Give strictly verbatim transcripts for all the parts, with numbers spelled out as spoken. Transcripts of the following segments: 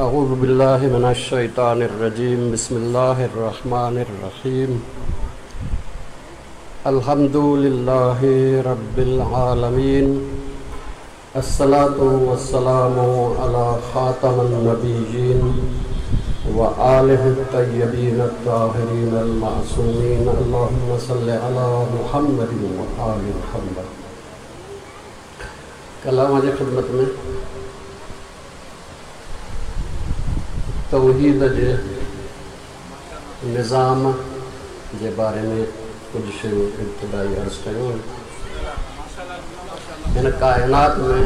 أعوذ بالله من الشيطان الرجيم بسم الله الرحمن الرحيم الحمد لله رب العالمين الصلاة والسلام على خاتم النبيين وآله الطيبين الطاهرين المعصومين اللهم صل على محمد وآل محمد. ڪلام جي خدمت ۾ توحيد جي نظام جي باري ۾ ڪجهه شيون ابتدائي عرض ڪيون. هن ڪائنات ۾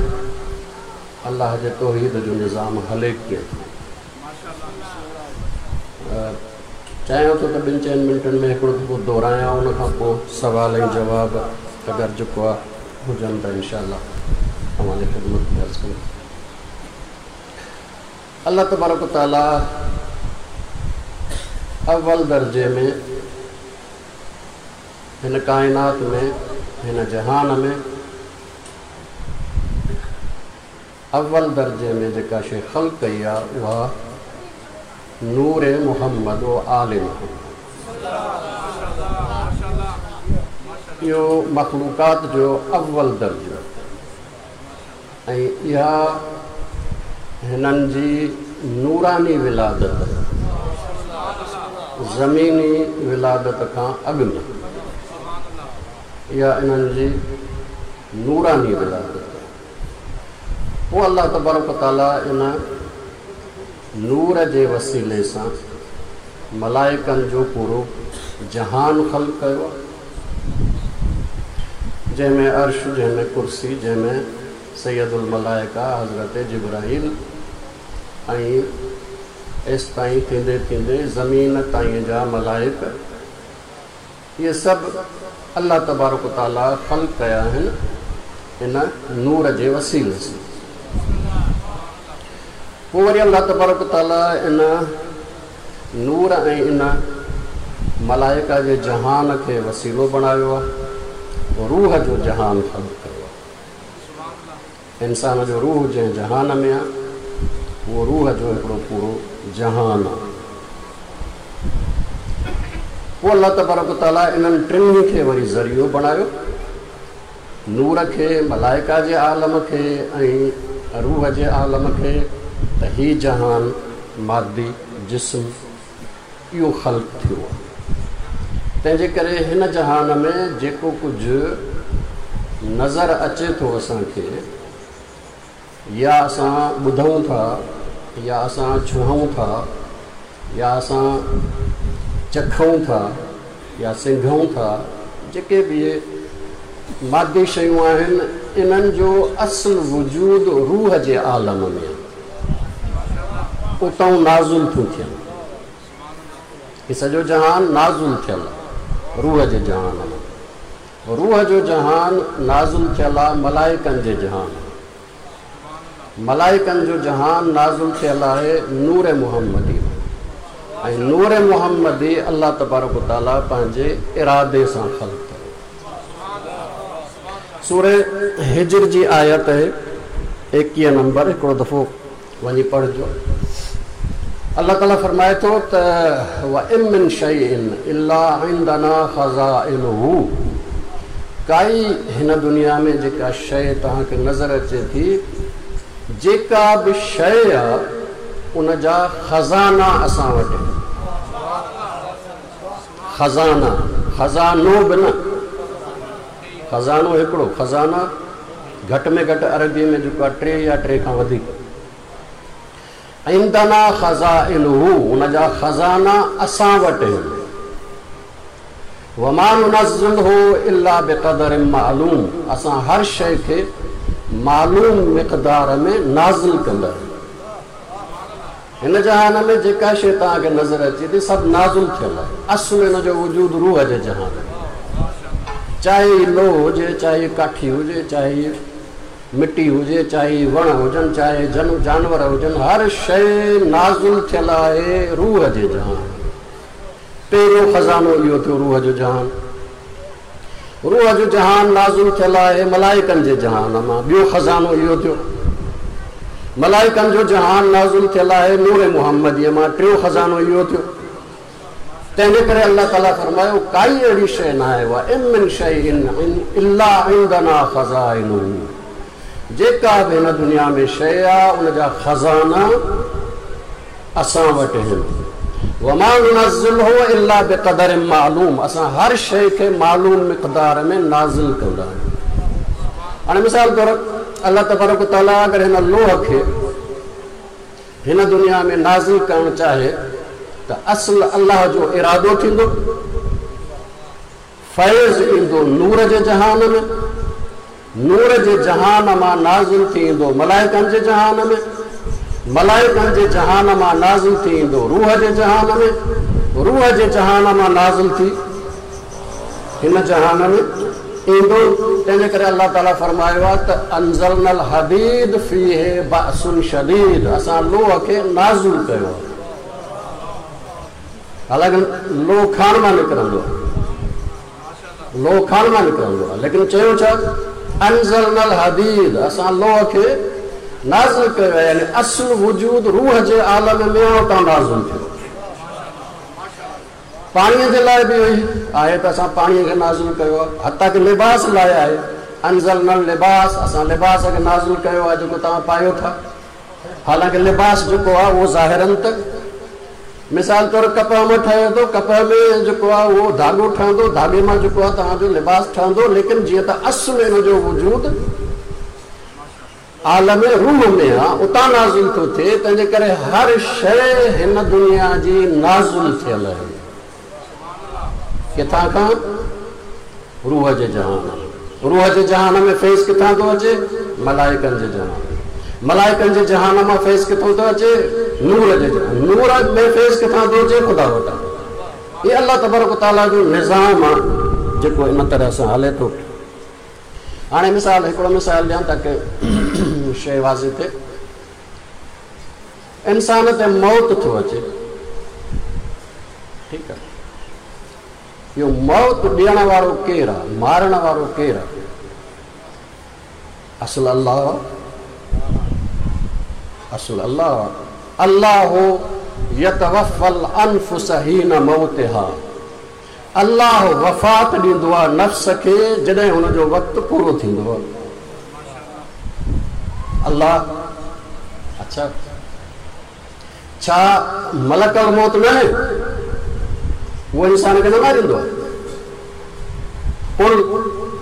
الله جي توحيد جو نظام هلي ڪيئن ٿو؟ چاهيان ٿو ته ٻن چئن منٽن ۾ هڪڙو دفعو دهرايان، ان کان پوءِ سوال ۽ جواب اگر جيڪو آهي هجن ته انشاء الله اوهان جي خدمت ۾ عرض ڪندس. الله تبارڪ تعاليٰ اول درجي ۾ هن ڪائنات ۾ هن جهان ۾ اول درجي ۾ جيڪا شيءِ خلق ڪئي آهي اها نور محمد و آل محمد. اهو مخلوقات جو اول درجو ۽ اها هنن جي نوراني ولادت زميني ولادت کان اڳ ۾ اها انهن جي نوراني ولادت. پوءِ الله تبارڪ تعاليٰ ان نور جي وسيلي سان ملائڪن جو پورو جهان خلق ڪيو آهي، جنهن ۾ عرش، جنهن ۾ ڪرسي، جنهن ۾ سيد الملائڪه حضرت جبرائيل ۽ ايس تائين ٿيندي ٿيندي زمين تائين جا ملائڪ، اهي سڀ الله تبارڪ تعاليٰ خلق ڪيا آهن ان نور جي وسيلي سان. پوءِ وري الله تبارڪ تعاليٰ ان نور ۽ ان ملائڪا جي جهان کي وسيلو بڻايو آهي، روح جو جهان خلق ڪيو آهي. انسان جو روح جنهن جهان ۾ آهي اهو روح جو هڪڙو پورو جهان آهي. پوءِ الله تبارڪ تعاليٰ انهن ٽنهي کي وري ذريعو بڻايو، نور کي، ملائڪا جي عالم کي ۽ روح جي عالم کي، ته هي جهان مادي جسم اهو خلق ٿيو آهي. تنهن جي ڪري هن جهان ۾ جيڪو ڪجهه نظر اچي ٿو اسان کي، يا اسان ٻڌون ٿا، يا اسان ڇهون ٿا، يا اسان چکون ٿا، يا سنگهون ٿا، جيڪي به اهي مادي شيون آهن انهن جو اصل وجود روح جي عالم ۾ آهي، اتان نازل ٿيون ٿين. هي سڄو جهان نازل ٿيل آهي روح جي جهان ۾. روح جو جهان نازل ٿيل آهي ملائڪن جي جهان ۾. ملائڪن جو جهان نازل ٿيل آهي نور محمدي ۾، ۽ نور محمدي الله تبارڪ تعاليٰ پنهنجي ارادي سان خلق ڪيو. سورة هجر جي آيت آهي ايڪويهه نمبر، هڪڙو دفعو وڃي پڙهجو. الله تعاليٰ فرمائي ٿو ته وَإِن مِّن شَيْءٍ إِلَّا عِندَنَا خَزَائِنُهُ، ڪائي هن دنيا ۾ جيڪا شيءِ توهان کي نظر اچي ٿي، جيڪا به شيءِ آهي ان جا خزانا اسان وٽ آهن. خزانا، خزانو به نه، خزانو هڪڙو، خزانا گهٽ ۾ گهٽ عربيءَ ۾ جيڪو آهي ٽي يا ٽي کان وڌيڪ. عندنا خزائنه، ان جا خزانا اسان وٽ آهن. وما ننزله الا بقدر معلوم، اسان هر شيءِ کي معلوم مقدار ۾ نازل ڪندا آهيون. هن جهان ۾ جيڪا شيءِ توهان کي نظر اچي ٿي سڀ نازل ٿيل آهي. اصل هن جو وجود روح جي جهان ۾، چاهي لوهه هجي، چاهي ڪاٺي هجي، چاهي مٽي هجي، چاهي وڻ هجن، چاهي جن جانور هجن، هر شيءِ نازل ٿيل آهي روح جي جهان. پهريون خزانو اهو ٿيو روح جو جهان. روح جو جهان نازل ٿيل آهي ملائڪن جي جهان مان. ٻيو خزانو اهو ٿيو. मलाइकनि जो जहान नाज़िल थियल आहे नूर मुहम्मदीअ मां। टियों ख़ज़ानो इहो थियो। तंहिंजे करे अलाह ताला फ़रमायो काई अहिड़ी शइ न आहे उहा इम शइ इल्ला इंदना ख़ज़ाइनुहु, जेका बि हिन दुनिया में शइ आहे उनजा ख़ज़ाना असां वटि आहिनि। वमा नुनज़्ज़िलहु इल्ला बिक़दर मालूम, असां हर शइ खे मालूम मिक़दार में नाज़िल कंदा आहियूं। हाणे मिसाल तौरु अलाह तबारक तआला अगरि हिन लोह खे हिन दुनिया में नाज़िल करणु चाहे त असुलु अलाह जो इरादो थींदो, फैज़ ईंदो नूर जे जहान में, नूर जे जहान मां नाज़िल थी ईंदो मलाइकनि जे जहान में, मलाइकनि जे जहान मां नाज़िल थी ईंदो रूह जे जहान में, रूह जे जहान मां नाज़िल थी हिन जहान में ईंदो। तंहिंजे करे अलाह ताला फ़रमायो आहे त अंज़लनल हदीद फ़ीहि बअसुन शदीद, असां लोह खे नाज़िल कयो आहे। हालांकि लोह खान मां निकिरंदो आहे, लोह खान मां निकिरंदो आहे, लेकिन चयो छा अंज़लनल हदीद, असां लोह खे नाज़िल कयो आहे, यानी असुलु वजूद रूह जे आलम में उतां नाज़िल थियो। पाणीअ जे लाइ बि हुई आहे त असां पाणीअ खे नाज़िल कयो आहे, हता की लिबास लाइ आहे अंज़लनल लिबास, असां लिबास खे नाज़िल कयो आहे जेको तव्हां पायो था। हालांकि लिबास जेको आहे उहो ज़ाहिरनि त मिसाल तौरु कपह मां ठहे थो, कपह में जेको आहे उहो धाॻो ठहंदो, धाॻे मां जेको आहे तव्हांजो लिबास ठहंदो, लेकिन जीअं त असुलु इन जो वजूद आलम रूह में आहे उतां नाज़िल थो थिए, तंहिंजे करे हर शइ हिन दुनिया जी नाज़िल थियल आहे। किथां खां? रूह जे जहान। रूह जे जहान में फैज़ किथां थो अचे? मलाइकनि जे जहान। मलाइकनि जे जहान मां फैज़ किथों थो अचे? नूर जे जहान। नूर में फैज़ किथां थो अचे? ख़ुदा वटां। इहो अलाह तबारक तआला जो निज़ाम आहे जेको इन तरह सां हले थो। हाणे मिसाल हिकिड़ो मिसाल ॾियां ताकी शइ वाज़े थिए। इंसान ते मौत थो अचे, ठीकु आहे, इहो मौत ॾियण वारो केरु आहे, मारण वारो केरु आहे? असुलु अलाह, असुलु अलाह। अल्लाह यतवफ़ल अनफुस हीन मौतिहा, अलाह वफ़ात ॾींदो आहे नफ़्स खे जॾहिं हुनजो वक़्तु पूरो थींदो आहे। अलाह अच्छा, छा मलकल मौत न आहे? उहो इंसान खे न मारींदो आहे? कुल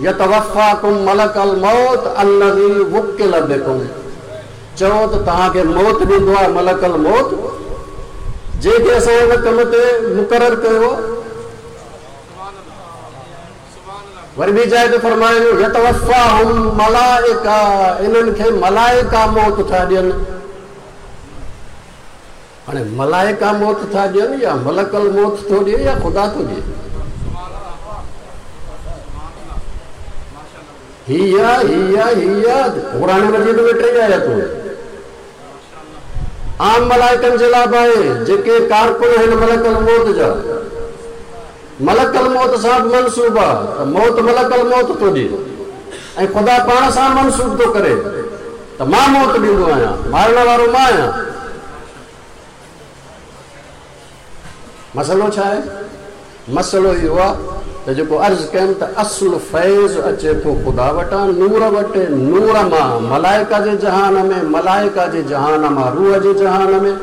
यतवफ़ाकुम मलकल मौत अल्लज़ी वुक्किल बिकुम, चओ त तव्हांखे मौत ॾींदो आहे मलकल मौत जंहिंखे असां हिन कम ते मुक़ररु कयो। वरी ॿी जाइ ते फ़रमायो यतवफ़ाहुम मलाइका, इन्हनि खे मलाइका मौत था ॾियनि। हाणे मलाइका मौत था ॾियनि या मलकल मौत थो ॾिए या ख़ुदा थो ॾिए? हीअ हीअ हीअ क़ुरान मजीद में टे आयतूं आम मलाइकनि जे लाइ बि आहे जेके कारकुन आहिनि मलकल मौत जा, मलकल मौत सां बि मनसूब आहे त मौत मलकल मौत थो ॾिए ऐं ख़ुदा पाण सां मनसूब थो करे त मां मौत ॾींदो आहियां, मारण वारो मां आहियां। मसइलो छा आहे? मसइलो इहो आहे त जेको अर्ज़ु कयमि त असुलु फैज़ अचे थो ख़ुदा वटां नूर वटि, नूर मां मलाइका जे जहान में, मलाइका जे जहान मां रूह जे जहान में,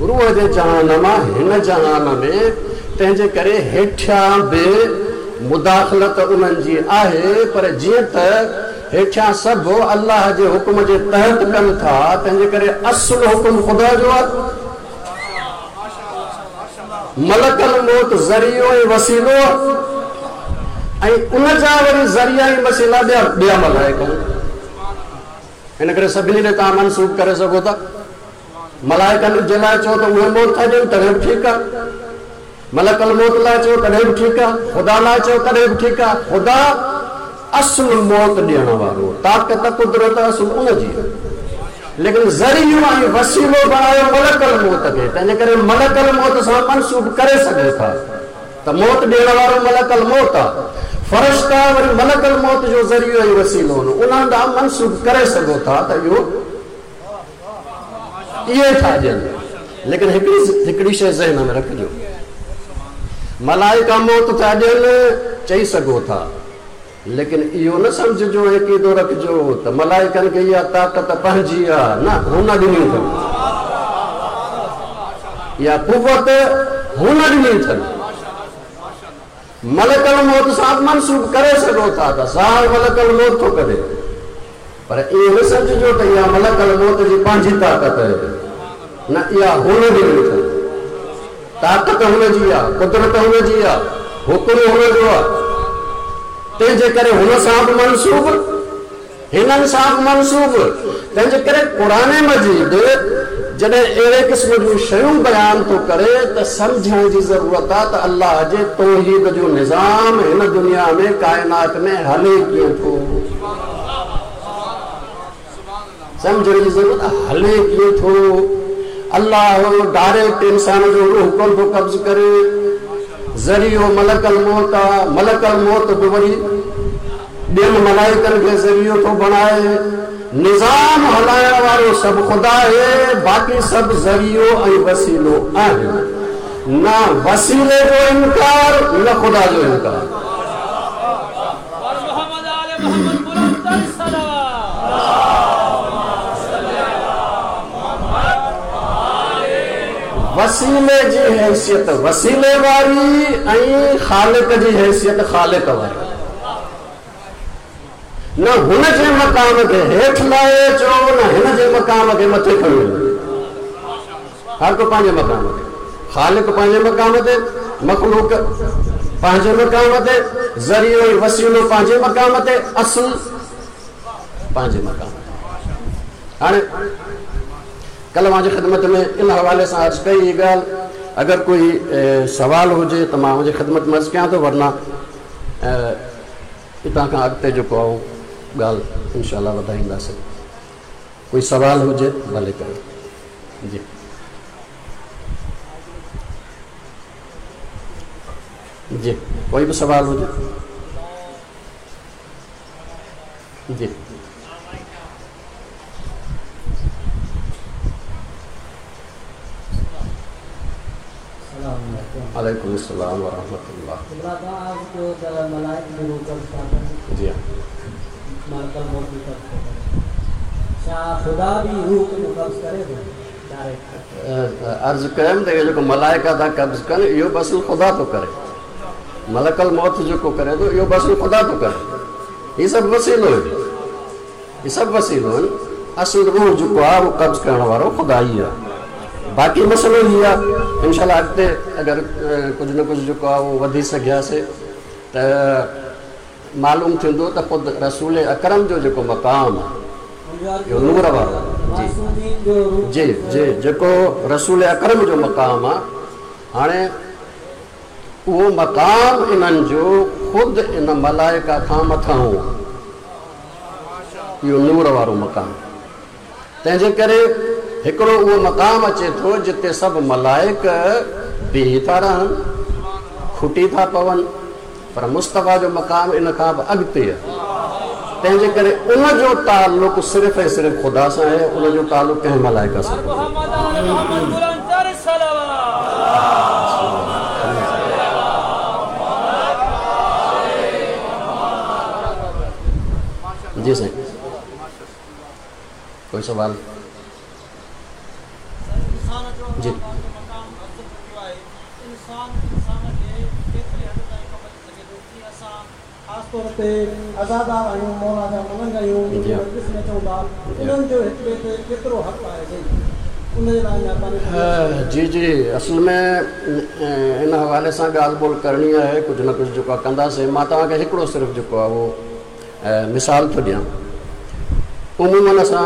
रूह जे जहान मां हिन जहान में। तंहिंजे करे हेठियां बि मुदाख़लत उन्हनि जी आहे, पर जीअं त हेठियां सभु अलाह जे हुकुम जे तहत कनि था, तंहिंजे करे असुलु हुकुम ख़ुदा जो आहे। मलकल मौत ज़रियो ऐं वसीलो ऐं उन जा वरी ज़रिया ऐं वसीला ॿिया ॿिया मलाइक आहिनि। हिन करे सभिनी ॾे तव्हां मनसूब करे सघो था। मलाइकनि जे लाइ चओ त उहे मौत था ॾियनि तॾहिं बि ठीकु आहे, मलकल मौत लाइ चओ तॾहिं बि ठीकु आहे, ख़ुदा लाइ चओ तॾहिं बि ठीकु आहे। ख़ुदा असुलु मौत ॾियण वारो, ताक़त कुदरत असुलु उन जी, लेकिन ज़रियो ऐं वसीलो बणायो मलकल मौत खे। तंहिंजे करे मलकल मौत सां मनसूब करे सघो था त मौत ॾियण वारो मलकल मौत आहे, फरिश्ता वरी मलकल मौत जो ज़रियो ऐं वसीलो उन्हनि ॾांहुं मनसूब करे सघो था त इहो इहे था ॾियनि। लेकिन हिकिड़ी हिकिड़ी शइ ज़हन में रखिजो, मलाइका मौत था ॾियनि चई सघो था, लेकिन इहो न सम्झिजो अक़ीदो रखिजो त मलाइकनि खे इहा ताक़त पंहिंजी आहे, न हुन ॾिनी अथनि, इहा कुवत हुन ॾिनी अथनि। मलकल मौत सां मनसूब करे सघो था त ज़ाहिर मलकल मौत थो करे, पर ईअं न सम्झिजो त इहा मलकल मौत जी पंहिंजी ताक़त आहे, न इहा हुन ॾिनी अथनि। ताक़त हुन जी आहे, कुदरत हुन जी आहे, हुकुम हुन जो आहे, तंहिंजे करे हुन सां बि मनसूब, हिननि सां बि मनसूब। तंहिंजे करे क़ुरान मजीद जॾहिं अहिड़े क़िस्म जूं शयूं बयानु थो करे त सम्झण जी ज़रूरत आहे त अल्लाह जे तौहीद जो निज़ाम हिन दुनिया में काइनात में हले कीअं थो। सम्झण जी ज़रूरत आहे, हले कीअं थो। अल्लाह डायरेक्ट इंसान जो रूह कोन थो कब्ज़ करे, ज़रियो मलकल मौत आहे, मलकल मौत बि वरी ॿियनि मलाइकनि खे ज़रियो थो बणाए। निज़ाम हलाइण वारो सभु ख़ुदा आहे, बाक़ी सभु ज़रियो ऐं वसीलो आहिनि। न वसीले जो इनकार, न ख़ुदा जो इनकार। वसीले जी हैसियत वसीले वारी ऐं ख़ालिक जी हैसियत ख़ालिक वारी। न हुन जे मक़ाम खे हेठि लाहे अचो, न हिन जे मक़ाम खे मथे खणी वञो। हर को पंहिंजे मक़ाम ते, ख़ालिक पंहिंजे मक़ाम ते, मख़लूक पंहिंजे मक़ाम ते, ज़रियो ऐं वसीलो पंहिंजे मक़ाम ते, असुल पंहिंजे मक़ाम ते। हाणे कल्ह मुंहिंजी ख़िदमत में इन हवाले सां अर्ज़ु कई हीअ ॻाल्हि, अगरि कोई सवाल हुजे त मां हुनजी ख़िदमत में अर्ज़ु कयां थो, वरना हितां खां अॻिते जेको आहे ॻाल्हि इनशा वधाईंदासीं। कोई सवाल हुजे भले कयो। जी जी, कोई बि सवाल हुजे। जी वालेकुम अस्सलाम व रहमतुल्लाह। जी हाँ, अर्ज़ु कयमि त इहो जेको मलाइका था कब्ज़ कनि, इहो बि असुल ख़ुदा थो करे। मलकल मौत जेको करे थो इहो बि असुल ख़ुदा थो करे। हीअ सभु वसीलो आहे, हीअ सभु वसीलो आहिनि। असुल रूह जेको आहे उहो कब्ज़ करण वारो ख़ुदा ई आहे। बाक़ी मसइलो हीउ आहे, इनशा अॻिते अगरि कुझु न कुझु जेको आहे उहो वधी सघियासीं त मालूम थींदो त ख़ुदि रसूल अकरम जो जेको मक़ाम आहे इहो नूर वारो, जी जी जी, जेको रसूल अकरम जो मक़ाम आहे, हाणे उहो मक़ाम इन्हनि जो ख़ुदि इन मलाइका खां मथां आहे, इहो नूर वारो मक़ाम। तंहिंजे करे हिकिड़ो उहो मक़ाम अचे थो जिते सभु मलाइक बीही था रहनि, खुटी था पवनि, पर मुस्तफ़ा जो मक़ाम इन खां बि अॻिते आहे। तंहिंजे करे उनजो तालुक़ु सिर्फ़ु ऐं सिर्फ़ु ख़ुदा सां आहे, उनजो तालुक़ु कंहिं मलाइका सां कोन्हे। जी साईं, कोई सवाल? जी ख़ासि तौर ते आज़ादार आहियूं, मौला जा मलंग आहियूं, उन्हनि जो हिक ॿिए ते केतिरो हक़ आहे उन जे लाइ महिरबानी। जी जी, असल में इन हवाले सां ॻाल्हि ॿोल करणी आहे, कुझु न कुझु जेको आहे कंदासीं। मां तव्हांखे हिकिड़ो सिर्फ़ु जेको आहे उहो मिसाल थो ॾियां। उमूमन असां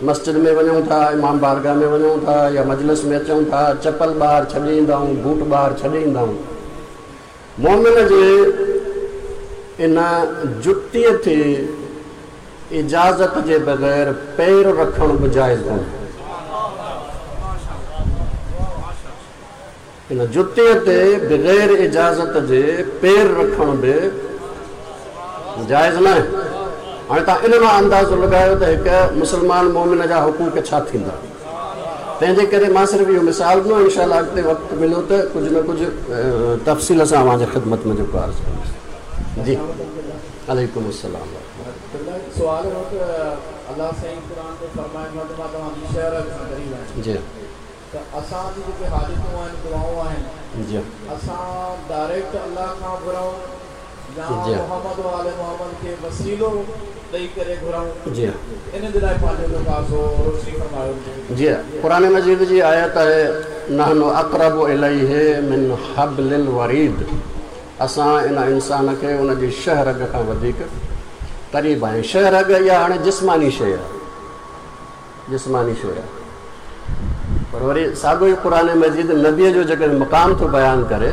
मस्जिद में वञूं था, इमाम बारगाह में वञूं था या मजलिस में अचूं था, चपल ॿाहिरि छॾे ईंदा आहियूं, बूट ॿाहिरि छॾे ईंदा आहियूं। मोमिन जे इन जुतीअ ते इजाज़त जे बग़ैर पेर रखणु बि जाइज़ कोन्हे। इन जुतीअ ते बग़ैर इजाज़त जे पेर रखणु बि जाइज़ न आहे। हाणे तव्हां इन मां अंदाज़ो लॻायो त हिकु मुस्लमान मोमिन जा हुकूक छा थींदा। तंहिंजे करे मां सिर्फ़ु इहो मिसाल ॾिनो। इनशा अॻिते वक़्तु मिलियो त कुझु न कुझु तफ़सील सां अव्हांजे ख़िदमत में जेको अर्ज़ु कंदुसि। जी वालेकुम अस्सलाम। सवाल हो त अल्लाह साईं क़ुरान में फरमाए थो त मां तव्हांजी शहर खां ग़रीब आहियां। जी त असांजी जेके हाजतूं आहिनि, दुआऊं आहिनि, जी असां डायरेक्ट अल्लाह खां घुरूं या मोहम्मद वाले मोहम्मद खे वसीलो ॾेई करे घुरूं? जी इन जे लाइ पंहिंजो जेको आहे सो रोशनी फरमायो। जी क़ुरान मजीद जी आयत आहे नहनु अक़रबु इलैहि मिन हब्लिल वरीद। असां इन इंसान खे उनजी शहरग खां वधीक क़रीब आहियूं। शहरग इहा हाणे जिस्मानी शइ आहे, जिस्मानी शइ आहे। पर वरी साॻियो ई क़ुरान मजीद नबीअ जो जेकॾहिं मक़ाम थो बयानु करे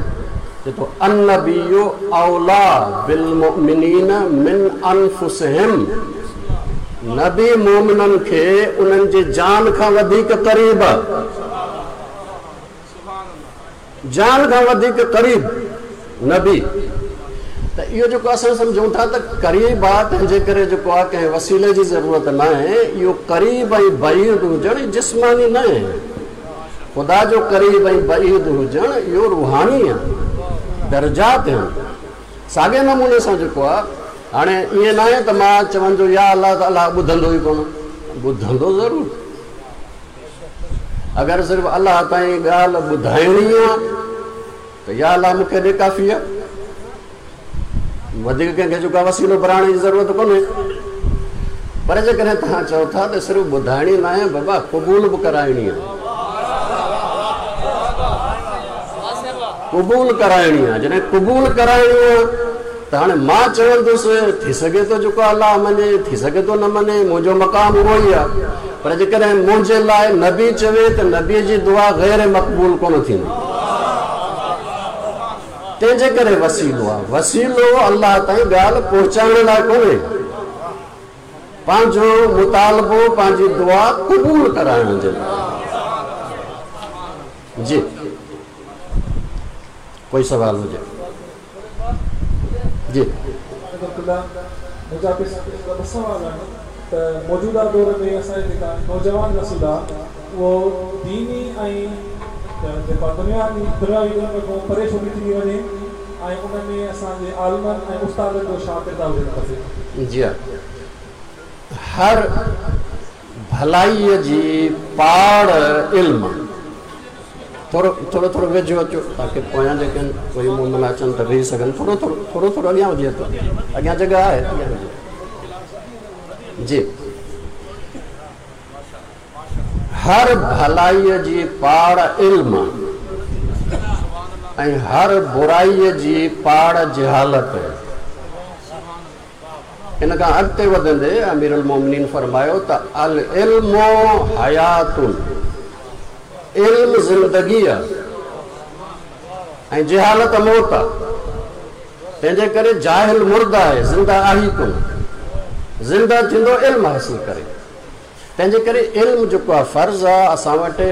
चए थो अन्नबिय्यु औला बिलमुमिनीन मिन अनफुसिहिम। नबी मोमिननि खे उन्हनि जे जान खां वधीक क़रीब आहे, जान खां वधीक क़रीब नबी। त इहो जेको असां सम्झूं था त क़रीब आहे, तंहिंजे करे जेको आहे कंहिं वसीले जी ज़रूरत न आहे। इहो क़रीब ऐं बईद हुजणु जिस्मानी न आहे। ख़ुदा जो क़रीब ऐं बईद हुजणु इहो रूहानी आहे, दर्जात आहिनि। साॻे नमूने सां जेको आहे हाणे ईअं न आहे त मां चवंदो या अलाह त अलाह ॿुधंदो ई कोन, ॿुधंदो ज़रूरु। अगरि सिर्फ़ु अलाह ताईं ॻाल्हि ॿुधाइणी आहे त या अलाह मूंखे ॾे काफ़ी आहे, वधीक कंहिंखे जेको आहे वसीलो बणाइण जी ज़रूरत कोन्हे। पर जेकॾहिं तव्हां चओ था त सिर्फ़ु ॿुधाइणी न आहे बाबा, क़बूल बि कराइणी आहे, क़बूल कराइणी आहे। जॾहिं क़बूल कराइणी आहे त हाणे मां चवंदुसि थी सघे थो जेको अलाह मञे, थी सघे थो न मञे, मुंहिंजो मक़ाम उहो ई आहे। पर जेकॾहिं मुंहिंजे लाइ नबी चवे त नबीअ जी दुआ ग़ैर मक़बूल कोन थींदी। तंहिंजे करे वसीलो आहे। वसीलो अलाह ताईं ॻाल्हि पहुचाइण लाइ कोन्हे, पंहिंजो मुतालबो पंहिंजी दुआ क़बूल कराइण जे लाइ। जी कोई सवाल हुजे? जी मुंहिंजा ॿ सवाल आहिनि त मौजूदा दौर में असांजा जेका नौजवान नस्ल आहे उहो दीनी ऐं जेको दुनिया दुनियावी इल्म खां परे छो थी वञे ऐं उन में असांजे आलिमनि ऐं उस्तादनि जो छा किरदारु हुजणु खपे? जी हा, हर भलाईअ जी पाड़ इल्म। थोरो थोरो थोरो वेझो अचो ताकी पोयां जेके आहिनि कोई मोमन अचनि त वेही सघनि। थोरो थोरो थोरो थोरो अॻियां वधी अचो, अॻियां जॻह आहे, अॻियां वधी। जी हर भलाईअ जी पाड़ इल्म ऐं हर बुराईअ जी पाड़ जहालत। इन खां अॻिते वधंदे अमीरुल मोमिनीन फरमायो त अल इल्मु हयातुन, इल्म ज़िंदगी आहे ऐं जहालत मौत आहे। तंहिंजे करे जाहिल मुर्दा आहे, ज़िंदा आहे ई कोन। ज़िंदा थींदो इल्म हासिल करे। तंहिंजे करे इल्म जेको आहे फ़र्ज़ आहे। असां वटि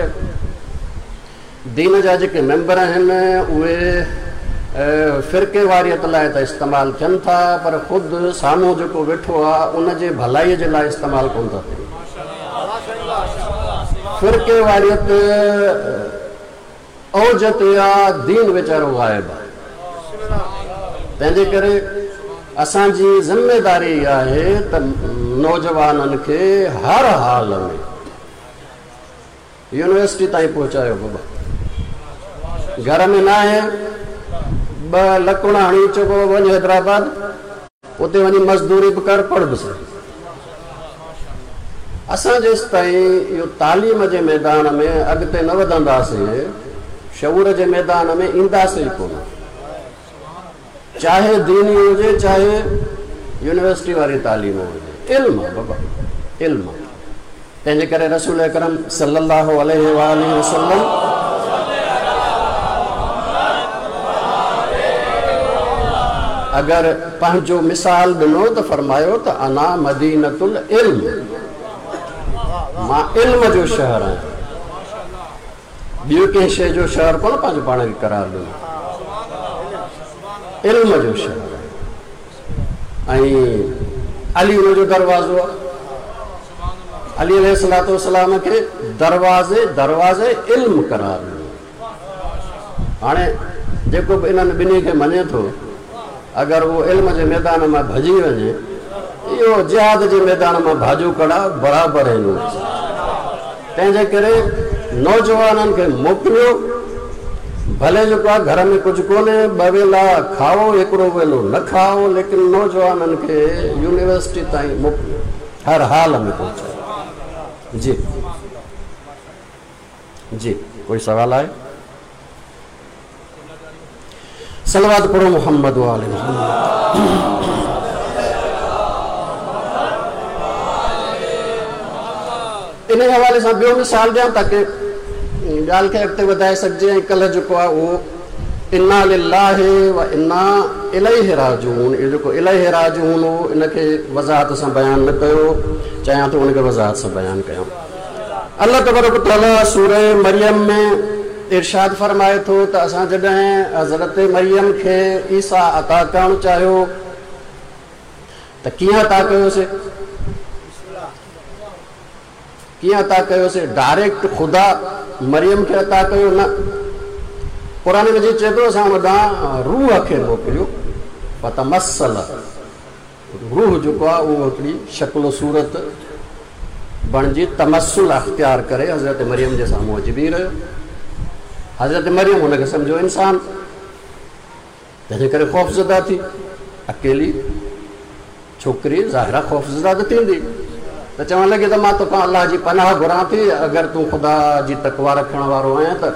दीन जा जेके मेंबर आहिनि उहे फ़िरके वारियत लाइ त इस्तेमालु थियनि था, पर ख़ुदि साम्हूं जेको वेठो आहे उनजे भलाईअ जे लाइ इस्तेमालु कोन था थियनि। फ़िरके वारियत औज ते आहे, दीन वीचारो ग़ाइब आहे। तंहिंजे करे असांजी ज़िम्मेदारी आहे त नौजवाननि खे हर हाल में यूनिवर्सिटी ताईं पहुचायो। बाबा घर में न आहे, ॿ लकुण हणी चओ बाबा वञ हैदराबाद, उते वञी मज़दूरी बि कर, पढ़ बि सघे। असां जेसि ताईं इहो तालीम जे मैदान में अॻिते न वधंदासीं, शऊर जे मैदान में ईंदासीं ई कोन, चाहे दीनी हुजे चाहे यूनिवर्सिटी वारी तालीम हुजे। इल्म आहे बाबा, इल्म। तंहिंजे करे रसूल अकरम सल्लल्लाहु अलैहि वसल्लम अगरि पंहिंजो मिसाल ॾिनो त फरमायो त अना मदीनतुल इल्म, मां इल्म जो शहर आहियां, ॿियो कंहिं शइ जो शहर कोन पंहिंजो पाण खे करार ॾिनो, इल्म जो शहर आहे। ऐं अली उनजो दरवाज़ो आहे, अली अलैहिस्सलातु वस्सलाम खे दरवाज़े दरवाज़े इल्म करार ॾिनो। हाणे जेको बि इन्हनि ॿिन्ही खे मञे थो, अगरि उहो इल्म जे मैदान मां भॼी वञे, इहो जिहाद जे मैदान मां भाॼो कड़ा बराबरि आहिनि। तंहिंजे करे नौजवाननि खे मोकिलियो, भले जेको आहे घर में कुझु कोन्हे, ॿ वेला खाओ, हिकिड़ो वेलो न खाओ, लेकिन नौजवाननि खे यूनिवर्सिटी ताईं मोकिलियो, हर हाल में पहुचायो। जी जी, कोई सवाल आहे? सलवात पढ़ो मोहम्मद वाले मोहम्मद। इन हवाले सां ॿियो मिसाल ॾियां ताकी ॻाल्हि खे अॻिते वधाए सघिजे। ऐं कल्ह जेको आहे उहो इन्ना लिल्लाहि व इन्ना इलैहि राजिऊन, इहो जेको इलैहि राजिऊन हो इनखे वज़ाहत सां बयानु न कयो, चाहियां थो उनखे वज़ाहत सां बयानु कयां। अल्लाह तबारक तआला सूरह मरियम में इरशाद फरमाए थो त असां जॾहिं हज़रत मरियम खे ईसा अता करणु चाहियो त कीअं अता कयोसीं? कीअं अता कयोसीं? डायरेक्ट ख़ुदा मरियम खे अता कयो न। क़ुरान मजीद चए थो असां हुन ॾांहुं रूह खे मोकिलियो, फतमस्सल, रूह जेको आहे उहो हिकिड़ी शक्ल सूरत बणिजी तमसुल अख़्तियार करे हज़रत मरियम जे साम्हूं अची बीह रहियो। हज़रत मरियम हुनखे सम्झो इंसान, तंहिंजे करे ख़ौफ़ज़दा थी। अकेली छोकिरी ज़ाहिर ख़ौफ़ज़दा त थींदी, त चवण लॻी त मां तोखां अलाह जी पनाह घुरां थी, अगरि तूं ख़ुदा जी तकवा रखण वारो आहियां त।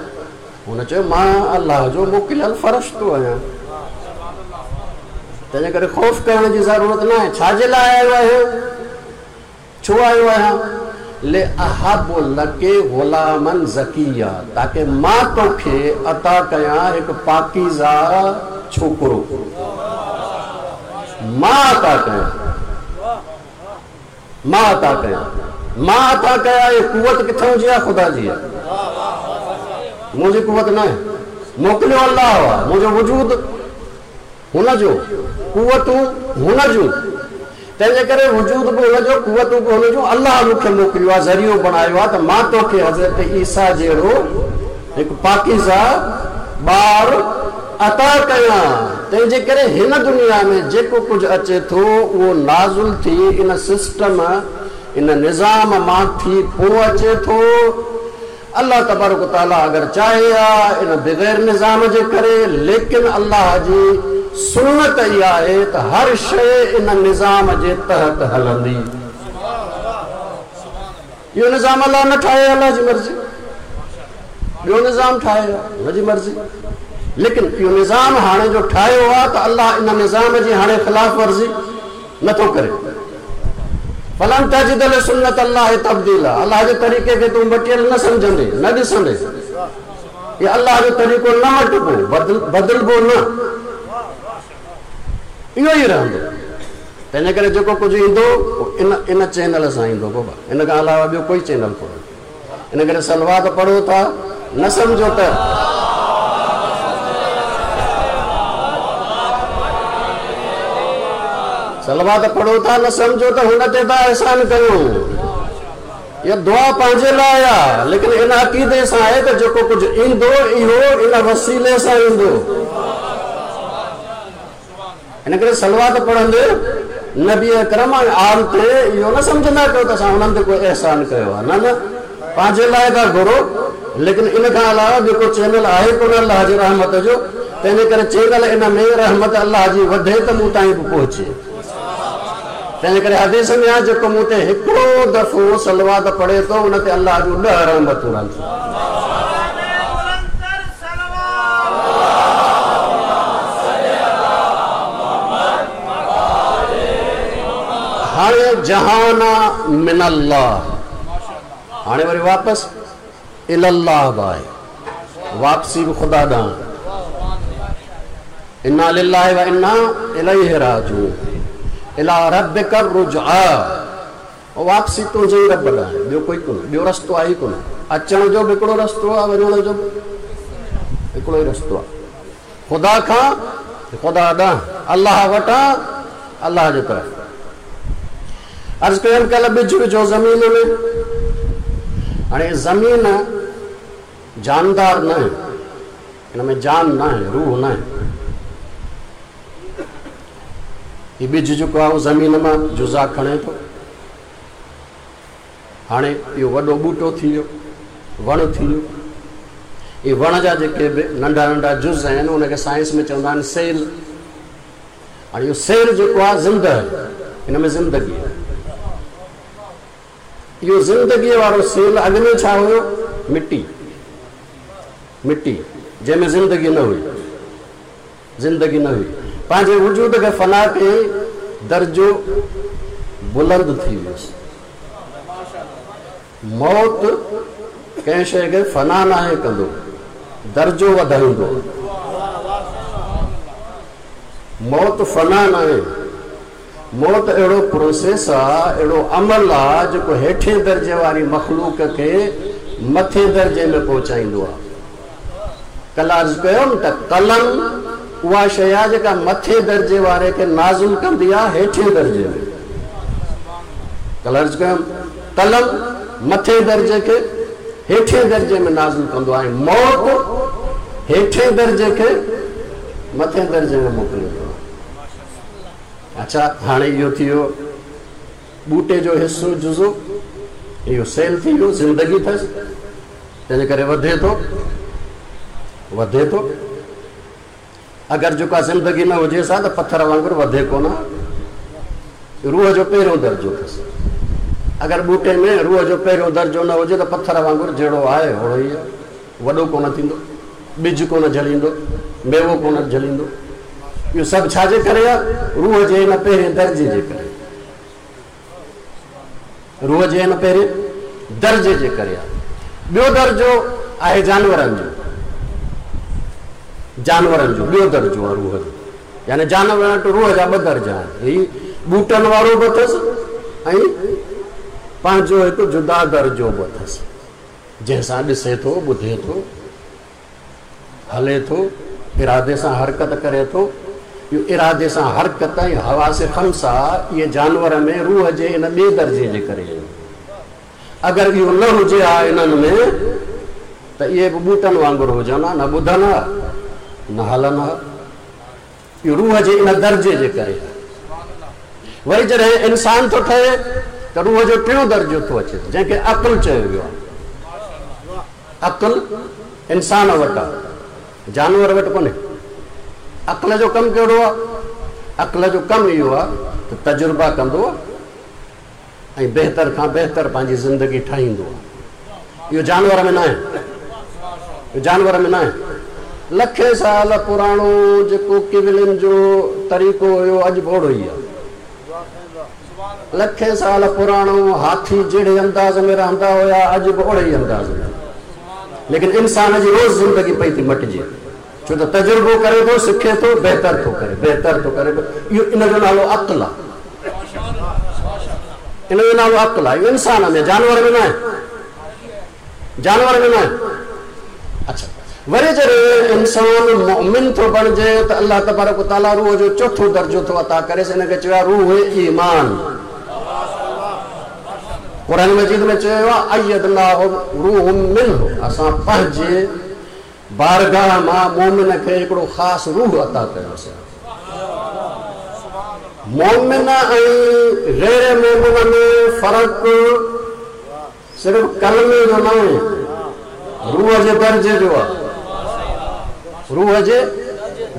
हुन चयो मां अलाह जो मोकिलियल फ़रिश्तो आहियां, तंहिंजे करे ख़ौफ़ करण जी ज़रूरत न आहे। छाजे लाइ आयो आहियां? छो आयो आहियां? ले अहब लके ग़ुलामन ज़किया, ताकि मां तोखे अता कयां हिकु पाकीज़ा छोकिरो, मां अता कयां, मां अता कयां, मां अता कयां। इहा कुवत किथां जी आहे? ख़ुदा जी आहे, मुंहिंजी कुवत न आहे। मोकिलियो अलाह आहे, मुंहिंजो वजूद हुनजो, कुवतूं हुन जूं, तंहिंजे करे वजूद बि हुनजो, कुवतूं बि हुनजूं। अलाह मूंखे मोकिलियो आहे, ज़रियो बणायो आहे त मां तोखे हज़रत ईसा जहिड़ो हिकु पाकीज़ा ॿार अता कयां। तंहिंजे करे हिन दुनिया में जेको कुझु अचे थो उहो नाज़ुल थी इन सिस्टम, इन निज़ाम मां थी पोइ अचे थो। अलाह तबारक तआला अगरि चाहे हा इन बग़ैर निज़ाम जे करे, लेकिन अलाह जी सुन्नत इहा आहे त हर शइ इन निज़ाम जे तहत हलंदी। इहो निज़ाम अलाह न ठाहे, अलाह जी मर्ज़ी, ॿियो निज़ाम ठाहे हुनजी मर्ज़ी, लेकिन इहो निज़ाम हाणे जो ठाहियो आहे त अलाह इन निज़ाम जी हाणे ख़िलाफ़ वर्ज़ी नथो करे। फलन तजिद लिसुन्नत अल्लाह तब्दीला, अलाह जे तरीक़े खे तूं मटियल न सम्झंदे, न ॾिसंदे। इहो अलाह जो तरीक़ो न मटिबो, बदिल बदिलबो न, इहो ई रहंदो। तंहिंजे करे जेको कुझु ईंदो इन इन चैनल सां ईंदो बाबा, इन खां अलावा ॿियो कोई चैनल कोन्हे। इन करे सलवात पढ़ो था, न सम्झो त सलवात पढ़ो था, न सम्झो त हुन ते था अहसान कयूं। इहा दुआ पंहिंजे लाइ आहे, लेकिन इन अक़ीदे सां आहे त जेको कुझु ईंदो इहो इन वसीले सां ईंदो। इन करे सलवात पढ़ंदे नबी अकरम ऐं आल ते इहो न सम्झंदा कयो त असां हुननि ते कोई अहसान कयो आहे, न न, पंहिंजे लाइ था घुरो। लेकिन इन खां अलावा ॿियो को चैनल आहे कोन अलाह जी रहमत जो, तंहिंजे करे चैनल इन में रहमत अलाह जी वधे त मूं ताईं बि पहुचे। तंहिंजे करे हदीस में आहे जेको मूं ते हिकिड़ो दफ़ो सलवात पढ़े थो उन ते अलाह जूं ॾह रहमतूं रहनि थियूं। हाणे जहाना मिन अल्लाह, हाणे वरी वापसि इलल्लाह बि आहे, वापसी बि ख़ुदा ॾांहुं। इन्ना लिल्लाहि व इन्ना इलैहि राजिऊन, इला रब्बिक रुजआ, वापसी तुंहिंजे ई रब ॾांहुं, ॿियो कोई कोन्हे, ॿियो रस्तो आहे ई कोन्हे। अचण जो बि हिकिड़ो रस्तो आहे, वञण जो बि हिकिड़ो ई रस्तो आहे, ख़ुदा खां ख़ुदा ॾांहुं, अलाह वटां अलाह जे तरफ़। अर्ज़ कयमि कल्ह ॿिज विझो ज़मीन में। हाणे ज़मीन जानदार न आहे, हिन में जान न आहे, रूह न आहे। हीउ ॿिज जेको आहे उहो ज़मीन मां जुज़ा खणे थो। हाणे इहो वॾो ॿूटो थी वियो, वणु थी वियो। इहे वण जा जेके बि नंढा नंढा जुज़ आहिनि उनखे साइंस में चवंदा आहिनि सेल। हाणे इहो सेल जेको आहे ज़िंदा आहे, हिन में ज़िंदगी आहे। इहो ज़िंदगीअ वारो सेल अॻु में छा हुयो? मिटी, मिटी जंहिंमें ज़िंदगी न हुई, ज़िंदगी न हुई। पंहिंजे वजूद खे फना कयईं, दर्जो बुलंद थी वियोसि। मौत कंहिं शइ खे फना नाहे कंदो, दर्जो वधाईंदो। मौत फना नाहे। मौत अहिड़ो प्रोसेस आहे, अहिड़ो अमल आहे जेको हेठे दर्जे वारी मख़लूक खे मथे दर्जे में पहुचाईंदो आहे। कल्ह अर्ज़ु कयो न त कलम उहा शइ आहे जेका मथे दर्जे वारे खे नाज़िल कंदी आहे हेठे दर्जे में। कल्ह अर्ज़ु कयमि कलम मथे दर्जे खे हेठे दर्जे में नाज़िल कंदो आहे, मौत हेठे दर्जे खे मथे दर्जे में मोकिलींदो आहे। अच्छा, हाणे इहो थी वियो ॿूटे जो हिसो जुज़ो, इहो सेल थी वियो, ज़िंदगी अथसि, तंहिंजे करे वधे थो, वधे थो। अगरि जेका ज़िंदगी न हुजेसि हा त पथर वांगुरु वधे कोन। रूह जो पहिरियों दर्जो अथसि। अगरि ॿूटे में रूह जो पहिरियों दर्जो न हुजे त पथर वांगुरु जहिड़ो आहे ओहिड़ो ई आहे, वॾो कोन थींदो, ॿिज कोन झलींदो, मेवो कोन झलींदो। इहो सभु छाजे करे आहे? रूह जे हिन पहिरें दर्जे जे करे, रूह जे हिन पहिरें दर्जे जे करे आहे। ॿियो दर्जो आहे जानवरनि जो, जानवरनि जो ॿियो दर्जो आहे रूह जो। यानी जानवर वटि रूह जा ॿ दर्जा आहिनि, हीउ ॿूटनि वारो बि अथसि ऐं पंहिंजो हिकु जुदा दर्जो बि अथसि, जंहिंसां ॾिसे थो, ॿुधे थो, हले थो, इरादे सां हरकत करे थो। इहो इरादे सां हरकत ऐं हवास ख़मसा इहे जानवर में रूह जे इन ॿिए दर्जे जे करे आहिनि। अगरि इहो न हुजे हा इन्हनि में त इहे बि ॿूटनि वांगुरु हुजनि हा, न ॿुधनि हा न हलनि हा। इहो रूह जे इन दर्जे जे करे आहे। वरी जॾहिं इंसान थो ठहे त रूह जो टियों दर्जो थो अचे, जंहिंखे अक़ुल चयो वियो आहे। अक़ुल इंसान वटि आहे, जानवर वटि कोन्हे। अक़ल जो कमु कहिड़ो आहे? अक़ल जो कमु इहो आहे त तजुर्बा कंदो ऐं बहितर खां बहितर पंहिंजी ज़िंदगी ठाहींदो आहे। इहो जानवर में न आहे, इहो जानवर में न आहे। लखे साल पुराणो जेको किवलिन जो तरीक़ो हुयो अॼु बि ओहिड़ो ई आहे। लखे साल पुराणो हाथी जहिड़े अंदाज़ में रहंदा हुया अॼु बि ओहिड़े ई अंदाज़ में। लेकिन इंसान जी रोज़ ज़िंदगी पई थी मटिजे, छो त तजुर्बो करे थो, सिखे थो, बहितर थो करे, बहितर थो करे। इहो इन जो नालो अक़ुल आहे, इन जो नालो अक़ुल आहे। इहो इंसान में, जानवर में न आहे, जानवर में न आहे। अच्छा, वरी जॾहिं इंसान मोमिन थो बणिजे त अलाह तबारक ताला रूह जो चोथों दर्जो थो अता करे, हिनखे चयो आहे रूह ईमान। क़ुरान मजीद में चयो आहे अयदनाहु रूह मिन्हु, असां पंहिंजे बारगाह मां मोमिन खे हिकिड़ो ख़ासि रूह अता कयोसीं। मोमिन ऐं गैर मोमिन में फ़र्क़ु सिर्फ़ कलमे जो न आहे, रूह जे दर्जे जो आहे, रूह जे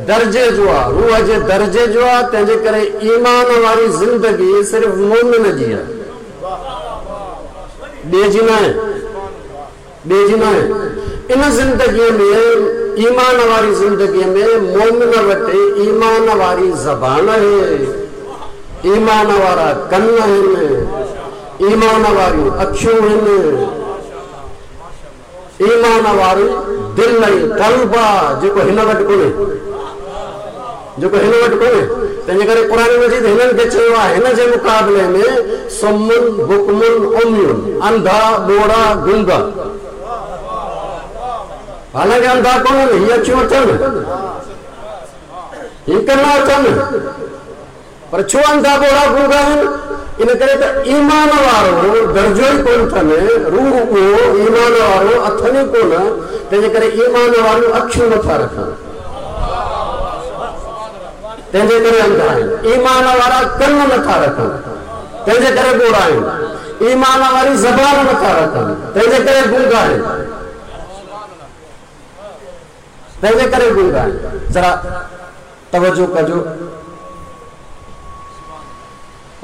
दर्जे जो आहे, रूह जे दर्जे जो आहे। तंहिंजे करे ईमान वारी ज़िंदगी सिर्फ़ मोमिन जी आहे, ॿिए जी न आहे, ॿिए जी न आहे। इन ज़िंदगीअ में, ईमान वारी ज़िंदगीअ में मोमिन वटि ईमान वारी ज़बान आहे, ईमान वारा कन आहिनि, ईमान वारियूं अखियूं आहिनि, ईमान वारी दिलि ऐं क़ल्ब आहे, जेको हिन वटि कोन्हे, जेको हिन वटि कोन्हे। तंहिंजे करे क़ुरान मजीद हिननि खे चयो आहे, हिन जे मुक़ाबले में सुमुन बुकमुन उम्युन, अंधा ॿोड़ा गुंगा। हालांकि अंधा कोन्हनि, हीअ अखियूं अथनि, हीअ कन अथनि, पर छो अंधा ॿोड़ा गुंगा आहिनि? इन करे त ईमान वारो दर्जो ई कोन अथनि, रूह उहो ईमान वारो अथनि ई कोन, तंहिंजे करे ईमान वारियूं अखियूं नथा रखनि, तंहिंजे करे अंधा आहिनि। ईमान वारा कन नथा रखनि, तंहिंजे करे ॿोड़ा आहिनि। ईमान वारी ज़बान नथा रखनि, तंहिंजे करे गूंगा आहिनि, तंहिंजे करे गूंगा आहिनि। ज़रा तवजो कजो,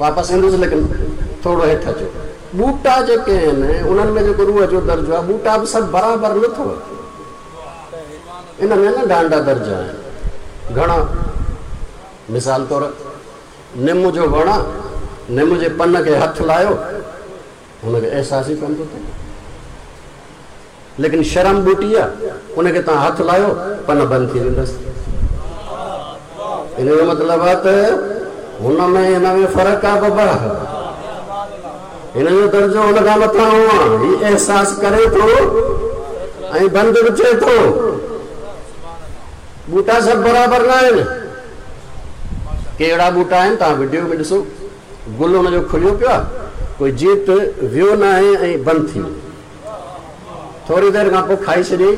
वापसि ईंदुसि, लेकिन थोरो हेठि अचो। ॿूटा जेके आहिनि उन्हनि में जेको रूह जो दर्जो आहे, ॿूटा बि सभु बराबरि न अथव, इन में नंढा नंढा दर्जा आहिनि घणा। मिसाल तौरु निम जो वणु आहे, निम जे पन खे हथु लायो, हुनखे अहसासु ई कोन थो थिए। लेकिन शर्म ॿूटी आहे, उनखे तव्हां हथु लायो, पन बंदि थी वेंदसि। इन जो मतिलबु आहे त हुन में हिन में फ़र्क़ु आहे बाबा, हिन जो दर्जो हुन खां मथां आहे। हीउ अहसासु करे थो ऐं बंदि बि थिए थो। ॿूटा सभु बराबरि न आहिनि। कहिड़ा ॿूटा आहिनि तव्हां वीडियो में ॾिसो, गुल हुनजो खुलियो पियो आहे, कोई जीत वियो न आहे ऐं बंदि थी वियो। थोरी देरि खां पोइ खाई छॾी,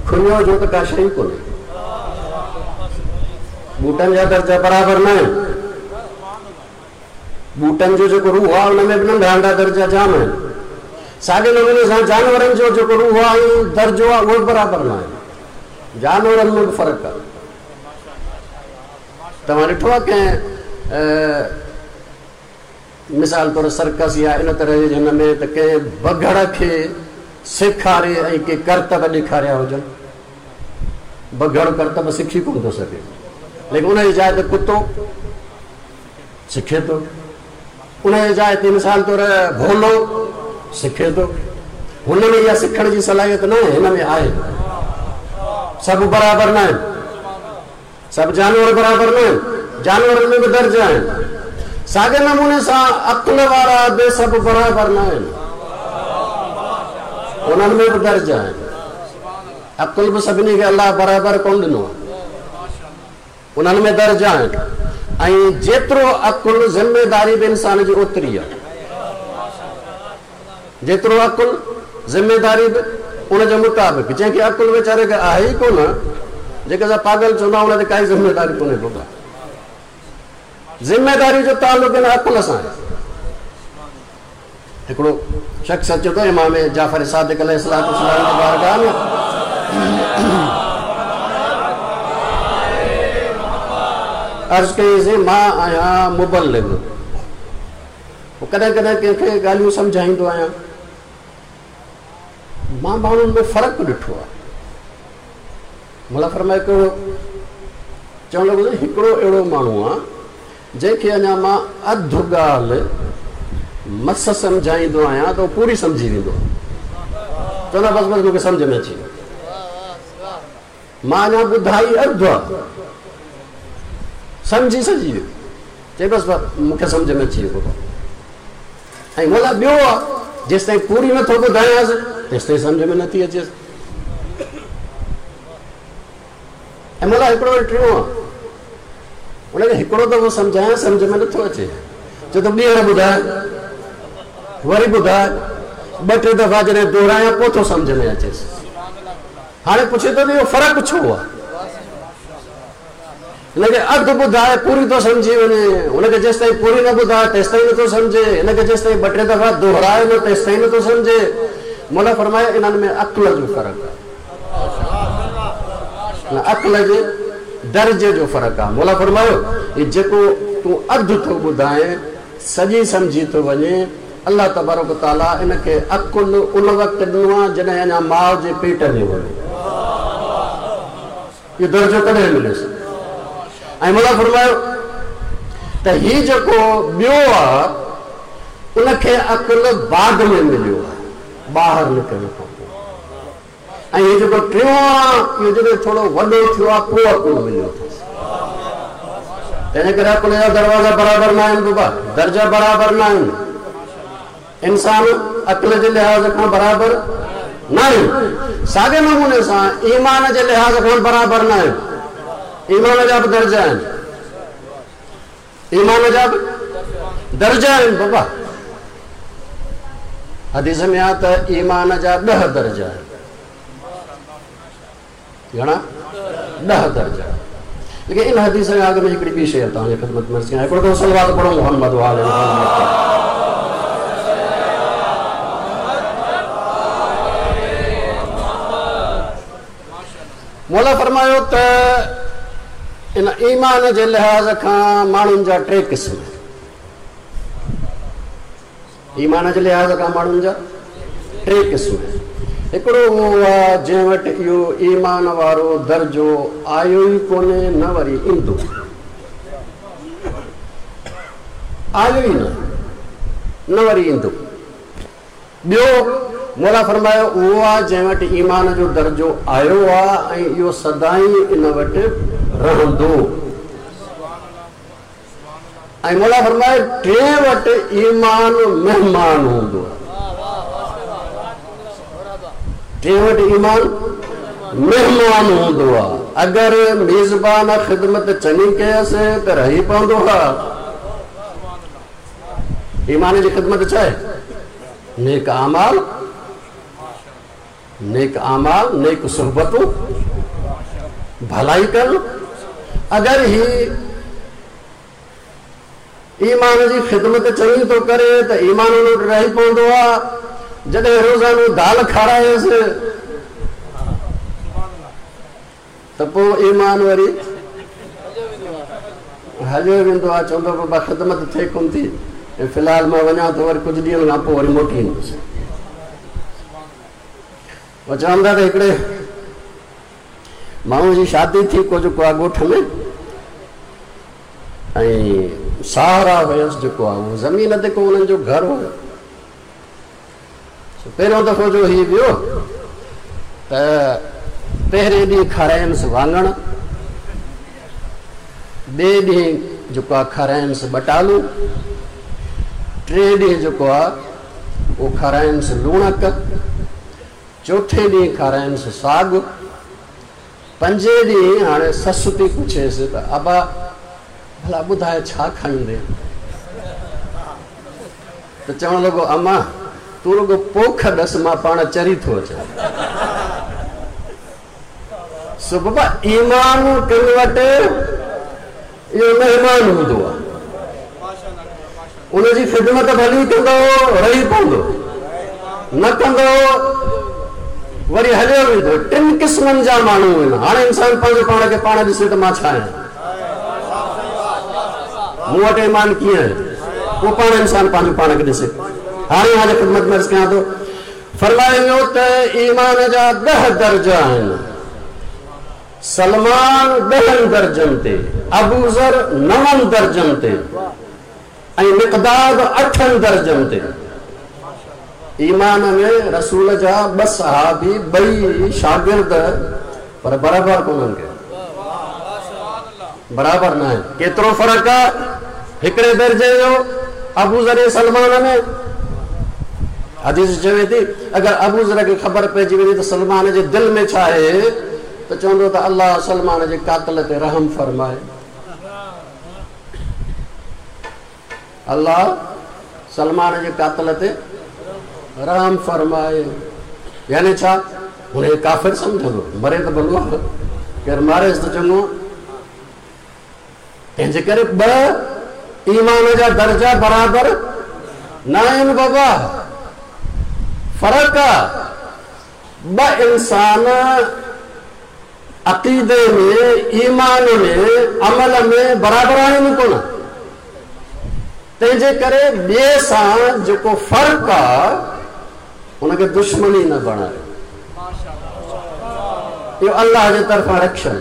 खुलियो जो त का शइ कोन्हे। ॿूटनि जा दर्जा बराबरि न आहिनि। ॿूटनि जो जेको रूह आहे हुन में बि नंढा नंढा दर्जा जाम आहिनि। साॻे नमूने सां जानवरनि जो जेको रूह आहे ऐं दर्जो आहे उहो बि बराबरि न आहे। जानवरनि में बि फ़र्क़ु आहे। तव्हां ॾिठो आहे कंहिं मिसाल तौरु सर्कस या इन तरह जे हिन में त कंहिं बघड़ खे सेखारे ऐं के करतब ॾेखारिया हुजनि। बघड़ करतब सिखी कोन थो सघे, लेकिन उनजी जाइ ते कुतो सिखे थो, उनजी जाइ ते मिसाल तौरु भोलो सिखे थो। हुन में इहा सिखण जी सलाहियत न आहे, हिन में आहे। सभु बराबरि न आहिनि, सभु जानवर बराबरि न आहिनि, जानवरनि में बि दर्जा आहिनि। साॻे नमूने सां अक़ल वारा बि सभु बराबरि न आहिनि, उन्हनि में बि दर्जा आहिनि। अक़ल बि सभिनी खे अलाह बराबरि कोन ॾिनो आहे, उन्हनि में दर्जा आहिनि। ऐं जेतिरो अक़ुलु ज़िम्मेदारी बि इंसान जी ओतिरी आहे, जेतिरो अक़ुलु ज़िम्मेदारी बि उनजे मुताबिक़। जंहिंखे अक़ुलु वीचारे खे आहे ई कोन, जेके असां पागल चवंदा आहियूं, उन ते काई ज़िम्मेदारी कोन्हे। बाबा, ज़िम्मेदारी जो तालुक़ु हिन अक़ुल सां आहे। हिकिड़ो शख़्स अचे थो इमाम जाफ़र सादिक़ अलैहिस्सलाम जी बारगाह में, अर्ज़ कईसीं, मां आहियां मुबलिग, पोइ कॾहिं कॾहिं कंहिंखे ॻाल्हियूं सम्झाईंदो आहियां। मां माण्हुनि में फ़र्क़ु ॾिठो आहे। मुला फरमाए कहिड़ो? चवण लॻो, हिकिड़ो अहिड़ो माण्हू आहे जंहिंखे अञा मां अधु ॻाल्हि मस सम्झाईंदो आहियां त उहो पूरी सम्झी वेंदो आहे। चवंदा बसि बसि मूंखे सम्झ में अची वियो, मां अञा ॿुधाई अधु आहे, सम्झी सॼी वियो। चई बसि मूंखे सम्झ में अची वियो। ऐं मोला ॿियो आहे, जेसि ताईं पूरी नथो ॿुधायांसि तेसि ताईं सम्झ में नथी अचेसि। ऐं मोला हिकिड़ो वरी टियों आहे, हुनखे हिकिड़ो दफ़ो सम्झायां सम्झ में नथो अचे, चए थो ॿीहर ॿुधाए, वरी ॿुधाए, ॿ टे दफ़ा जॾहिं दोहरायां पोइ थो सम्झ में अचेसि। हाणे पुछे थो त इहो फ़र्क़ु छो आहे? हिनखे अधु ॿुधाए पूरी थो सम्झी वञे, हुनखे जेसि ताईं पूरी न ॿुधाए तेसि ताईं नथो सम्झे, हिनखे जेसि ताईं ॿ टे दफ़ा दोहराए न तेसि ताईं नथो सम्झे। मौला फरमाए इन्हनि में अक़ल जो फ़र्क़ु आहे, अक़ल जे दर्जे जो फ़र्क़ु आहे। मौला फरमायो हीउ जेको तूं अधु थो ॿुधाए सॼी सम्झी थो वञे, अलाह तबारक ताला इनखे अक़ुलु उन वक़्तु ॾिनो आहे जॾहिं अञा माउ जे पेट में हुयो। इहो दर्जो कॾहिं मिलियुसि? ऐं मौला फरमायो त हीउ जेको ॿियो आहे उनखे अक़ुलु बाद में मिलियो आहे, ॿाहिरि निकिरण खां पोइ। ऐं हीउ जेको टियों आहे इहो जॾहिं थोरो वॾो थियो आहे पोइ अक़ुलु मिलियो अथसि। तंहिंजे करे अक़ुल जा दरवाज़ा बराबरि न आहिनि बाबा, दर्जा बराबरि न आहिनि। इंसान अक़ल जे लिहाज़ खां बराबरि न आहिनि, साॻे नमूने सां ईमान जे लिहाज़ खां बराबरि न आहिनि। ईमान जा बि दर्जा आहिनि, ईमान जा बि दर्जा आहिनि बाबा। हदीस में आहे त ईमान जा ॾह दर्जा आहिनि। घणा? ॾह दर्जा। लेकिन इन हदीस में अॻु में हिकिड़ी ॿी शइ तव्हांजी ख़िदमत में अर्ज़ कयां। हिकिड़ो दफ़ो सलवात पढ़ो मोहम्मद वाले मोहम्मद। मौला फरमायो त इन ईमान जे लिहाज़ खां माण्हुनि जा टे क़िस्म। ईमान जे लिहाज़ खां माण्हुनि जा टे क़िस्म। हिकिड़ो उहो आहे जंहिं वटि इहो ईमान वारो दर्जो आयो ई कोन्हे, न वरी ईंदो, आयो ई न, न वरी ईंदो। ॿियो मौला फरमायो उहो आहे जंहिं वटि ईमान जो दर्जो आयो आहे ऐं इहो सदाईं इन वटि रहंदो। ऐं मौला फरमायो टे वटि ईमान महिमान हूंदो आहे। टे वटि ईमान महिमान हूंदो आहे। अगरि मेज़बान ख़िदमत चङी कयसि त रही पवंदो आहे। ईमान जी ख़िदमत छा आहे? नेक आमाल, नेक आमाल, नेक सोहबतूं, भलाई करणु। अगरि ही ईमान जी ख़िदमत चङी थो करे त ईमान हुन वटि रही पवंदो आहे। जॾहिं रोज़ानो दाल खारायसि त पोइ ईमान वरी हलियो वेंदो आहे। चवंदो बाबा ख़िदमत थिए कोन थी, ऐं फ़िलहाल मां वञा थो, वरी कुझु ॾींहंनि खां पोइ वरी मोटी ईंदुसि। उहे चवनि था त हिकिड़े माण्हूअ जी शादी थी को जेको आहे ॻोठ में, ऐं सहारा हुयसि जेको आहे उहो ज़मीन ते को हुननि जो घर हुयो। पहिरियों दफ़ो जो हीउ वियो त पहिरें ॾींहुं खारायनसि वाङण, ॿिए ॾींहुं जेको आहे खारायनसि ॿटालू, टे ॾींहुं जेको आहे उहो खारायनसि लूणक, चोथे ॾींहुं खारायनसि साॻ, पंजे ॾींहुं हाणे ससु थी पुछेसि त अबा भला ॿुधाए छा खाईंदे? त चवण लॻो अम्मा तूं रुॻो पोख ॾस, मां पाण चरी थो अचां। सो बाबा ईमान कंहिं वटि इहो महिमान हूंदो आहे, उनजी ख़िदमत भली कंदो रही पवंदो, न कंदो वरी हलियो वेंदो। टिनि क़िस्मनि जा माण्हू आहिनि। हाणे इंसान पंहिंजो पाण खे पाण ॾिसे त मां छा आहियां, मूं वटि ईमान कीअं आहे, पोइ पाण इंसान पंहिंजो पाण खे ॾिसे। हाणे हाणे ख़िदमत में अर्ज़ कयां थो, फरमायो वियो त ईमान जा ॾह दर्जा आहिनि। सलमान ॾहनि दर्जनि ते, अबूज़र नवनि दर्जनि ते ऐं मिक़दाद अठनि दर्जनि ते। ईमान में रसूल जा ॿ सहाबी ॿई शागिर्द पर बराबरि कोन्हनि कयो, बराबरि न आहिनि। केतिरो फ़र्क़ु आहे हिकिड़े दर्जे जो अबूज़र ऐं सलमान में? हदीस चवे थी अगरि अबूज़र खे ख़बर पइजी वञे त सलमान जे दिलि में छा आहे त चवंदो त अलाह सलमान जे कातिल ते रहम फरमाए, अलाह सलमान जे कातिल ते रहम फरमाए। यानी छा हुनखे काफ़िर सम्झंदो, मरे त भलो आहे, केरु मारेसि त चङो। तंहिंजे करे ॿ ईमान जा दर्जा बराबरि न आहिनि बाबा, फ़र्क़ु आहे। ॿ इंसान अक़ीदे में, ईमान में, अमल में बराबरि आहिनि कोन। तंहिंजे करे ॿिए सां जेको फ़र्क़ु आहे हुनखे दुश्मनी न बणाए। इहो अलाह जे तरफ़ां रखियल,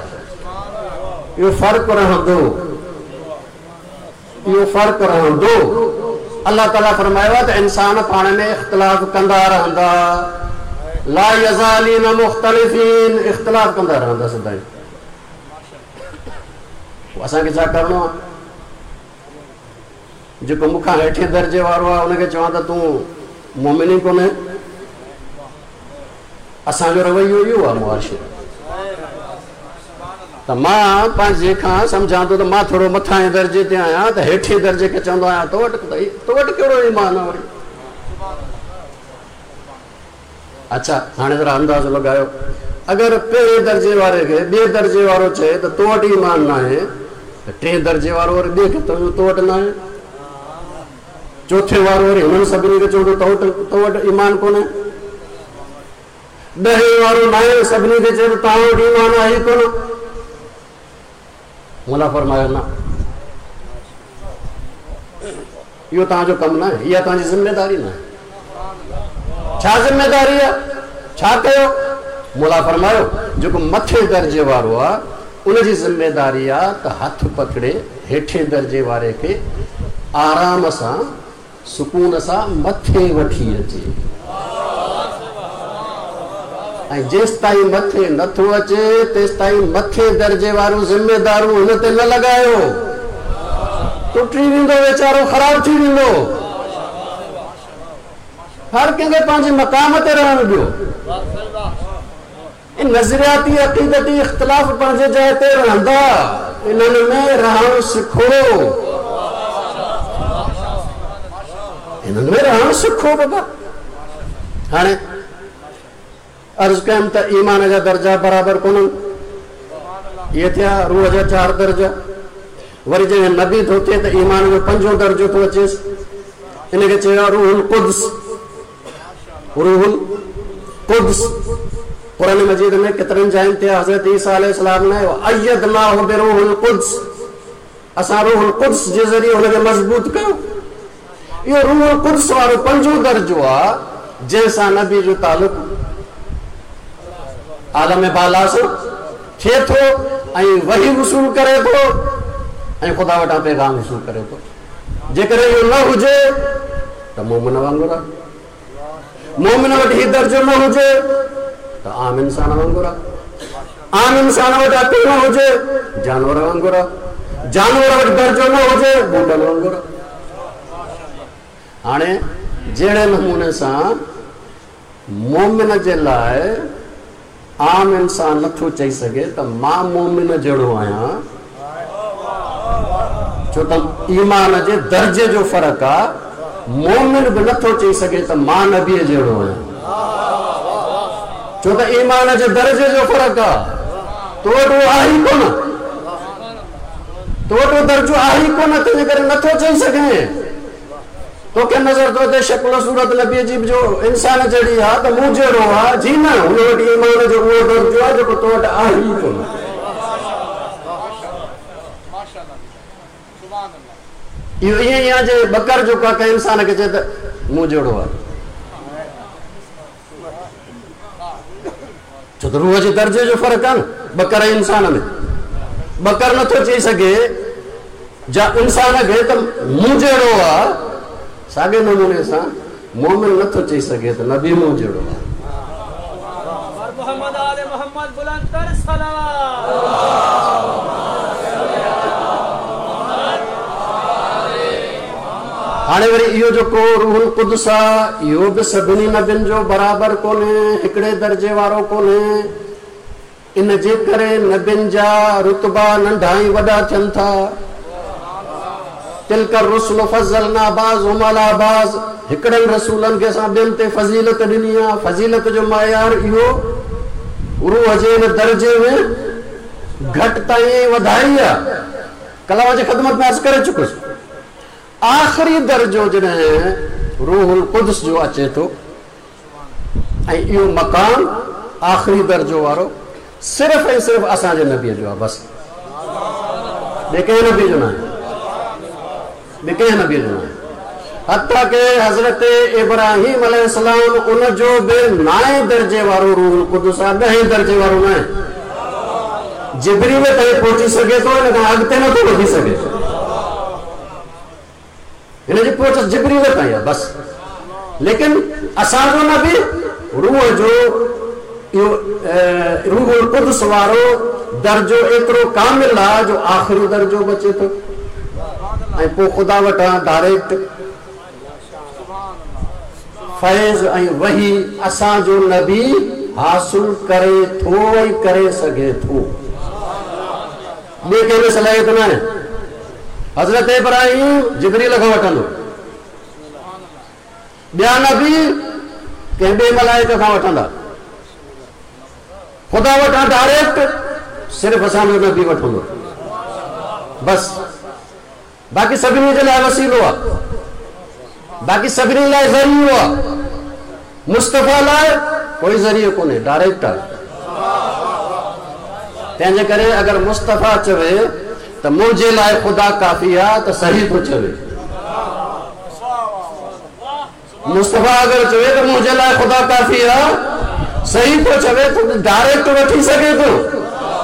इहो फ़र्क़ु रहंदो, इहो फ़र्क़ु रहंदो। अलाह ताला फरमायो आहे त इंसान पाण में इख़्तिलाफ़ कंदा रहंदा, ला यज़ालीन मुख़्तलिफ़ीन, इख़्तिलाफ़ कंदा रहंदा सदाईं। असांखे छा करिणो आहे? जेको मूंखां हेठे दर्जे वारो आहे हुनखे चवां त तूं मोमिन ई कोन्हे। असांजो रवैयो इहो आहे मुआशरे। त मां पंहिंजे खां सम्झां थो त मां थोरो मथां दर्जे ते आहियां त हेठे दर्जे खे चवंदो आहियां तो वटि तो वटि कहिड़ो ईमान आहे वरी। अच्छा हाणे ज़रा अंदाज़ो लॻायो, अगरि पहिरें दर्जे वारे खे ॿिए दर्जे वारो चए त तो वटि ईमान न आहे, त टे दर्जे वारो वरी ॿिए खे चवंदो तो वटि न आहे, चोथे वारो वरी हुननि सभिनी खे चवंदो तो वटि तो वटि ईमान कोन्हे, ॾहें वारो न आहे सभिनी खे चए तव्हां वटि ईमान आहे ई कोन। मौला फरमायो न, इहो तव्हांजो कमु न आहे, इहा तव्हांजी ज़िम्मेदारी न आहे। छा ज़िम्मेदारी आहे? छा कयो? मौला फरमायो जेको मथे दर्जे वारो आहे उनजी ज़िम्मेदारी आहे त हथु पकड़े हेठे दर्जे वारे खे आराम सां सुकून सां मथे वठी अचे, ऐं जेसि ताईं मथे नथो अचे तेसि ताईं मथे दर्जे वारो ज़िम्मेदारू हुन ते न लॻायो, टुटी वेंदो वीचारो, ख़राबु थी वेंदो। हर कंहिंखे पंहिंजे मक़ाम ते रहणु ॾियो। नज़रियाती अक़ीदती इख़्तिलाफ़ पंहिंजे जाइ ते रहंदा, इन्हनि में रहणु सिखो, इन्हनि में रहणु सिखो बाबा। हाणे अर्ज़ कयमि त ईमान जा दर्जा बराबरि कोन्हनि, इहे थिया रूह जा चारि दर्जा। वरी जॾहिं नबी थो थिए त ईमान जो पंजों दर्जो थो अचेसि, इनखे चयो आहे रूहुल क़ुद्स। रूहुल क़ुद्स क़ुरान मजीद में केतिरनि जाइनि ते हज़रत ईसा अलैहिस्सलाम ने अय्यदनाहु बिरूहुल क़ुद्स, असां रूहुल क़ुद्स जे ज़रिए हुनखे मज़बूत कयो। इहो रूहुल क़ुद्स वारो पंजों दर्जो आहे जंहिंसां नबी जो तालुक़ आलम बाला सां थिए थो ऐं वही वसूल करे थो ऐं ख़ुदा वटां पैगाम वसूल करे थो। जेकॾहिं इहो न हुजे त मोमिन वांगुरु आहे, मोमिन वटि हीउ दर्जो न हुजे त आम इंसान वांगुरु आहे, आम इंसान वटि अक़ल न हुजे जानवर वांगुरु आहे, जानवर वटि दर्जो न हुजे बूटनि वांगुरु आहे। हाणे जहिड़े नमूने सां मोमिन जे लाइ आम इंसान नथो चई सघे त मां मोमिन जहिड़ो आहियां, छो त ईमान जे दर्जे जो फ़र्क़ु आहे। मोमिन बि नथो चई सघे त मां नबीअ जहिड़ो आहियां, छो त ईमान जे दर्जे जो फ़र्क़ु आहे। तो वटि उहो आहे ई कोन, तो वटि उहो दर्जो आहे ई कोन, तंहिंजे करे नथो चई सघे। तोखे नज़र थो अचे शक्ल सूरत नबीअ जी जो इंसान जहिड़ी आहे त मूं जहिड़ो आहे, जी न, हुन वटि ईमान जो उहो दर्जो आहे जेको तो वटि आहे ई कोन। इहो ईअं ई आहे जे बकर जेको आहे कंहिं इंसान खे चए त मूं जहिड़ो आहे, छो त रूह जे दर्जे जो फ़र्क़ु आहे न बकर ऐं इंसान में। बकर नथो चई सघे जा इंसान खे त मूं जहिड़ो आहे, साॻे नमूने सां मोमिन नथो चई सघे त नबी मूं जहिड़ो आहे। हाणे वरी इहो जेको रूहुल क़ुद्स आहे इहो बि सभिनी नबियुनि जो बराबरि कोन्हे, हिकिड़े दर्जे वारो कोन्हे। इन जे करे नबियुनि जा रुतबा नंढा ऐं वॾा थियनि था। तिल्क रुसल फज़लना बाज़हुम अला बाज़, हिकिड़नि रसूलनि खे असां ॿियनि ते फ़ज़ीलत ॾिनी आहे। फ़ज़ीलत जो मयार इहो रूह जे हिन दर्जे में घटिताई ऐं वधाई आहे। कलाम जी ख़िदमत में अर्ज़ करे चुकुसि। आख़िरी दर्जो जॾहिं रूहुल क़ुद्स जो अचे थो ऐं इहो मक़ाम आख़िरी दर्जो वारो सिर्फ़ ऐं सिर्फ़ असांजे नबीअ जो आहे, बसि ॿिए कंहिं नबी जो न आहे, ॿिए कंहिं नबी जो न आहे। हता के हज़रत इब्राहिम अलैहिस्सलाम उनजो बि नाए दर्जे वारो रूहुल क़ुद्स आहे, ॾहें दर्जे वारो न आहे। जिब्रील ताईं पहुची सघे थो, हिन खां अॻिते नथो वधी सघे। हिन जी पहुच जिब्रील ताईं आहे बसि। लेकिन असांजो नबी रूह जो इहो रूहुल क़ुद्स वारो दर्जो एतिरो कामिल आहे जो आख़िरी दर्जो बचे थो ऐं पोइ ख़ुदा वटां डायरेक्ट फैज़ ऐं वही असांजो नबी हासिल करे थो ऐं करे सघे थो। ॿिए कंहिं में सलाहियत न आहे। हज़रत इब्राहिम जिब्रील खां वठंदो, ॿिया नबी कंहिं ॿिए मलाइक खां वठंदा, ख़ुदा वटां डायरेक्ट सिर्फ़ु असांजो नबी वठंदो बसि। बाक़ी सभिनी जे लाइ वसीलो आहे, बाक़ी सभिनी लाइ ज़रियो आहे, मुस्तफ़ा लाइ कोई ज़रियो कोन्हे, डायरेक्ट आहे। तंहिंजे करे अगरि मुस्तफ़ा चवे त मुंहिंजे लाइ ख़ुदा काफ़ी आहे त सही थो चवे। मुस्तफ़ा अगरि चवे त मुंहिंजे लाइ ख़ुदा काफ़ी आहे, सही थो चवे, त डायरेक्ट वठी सघे थो।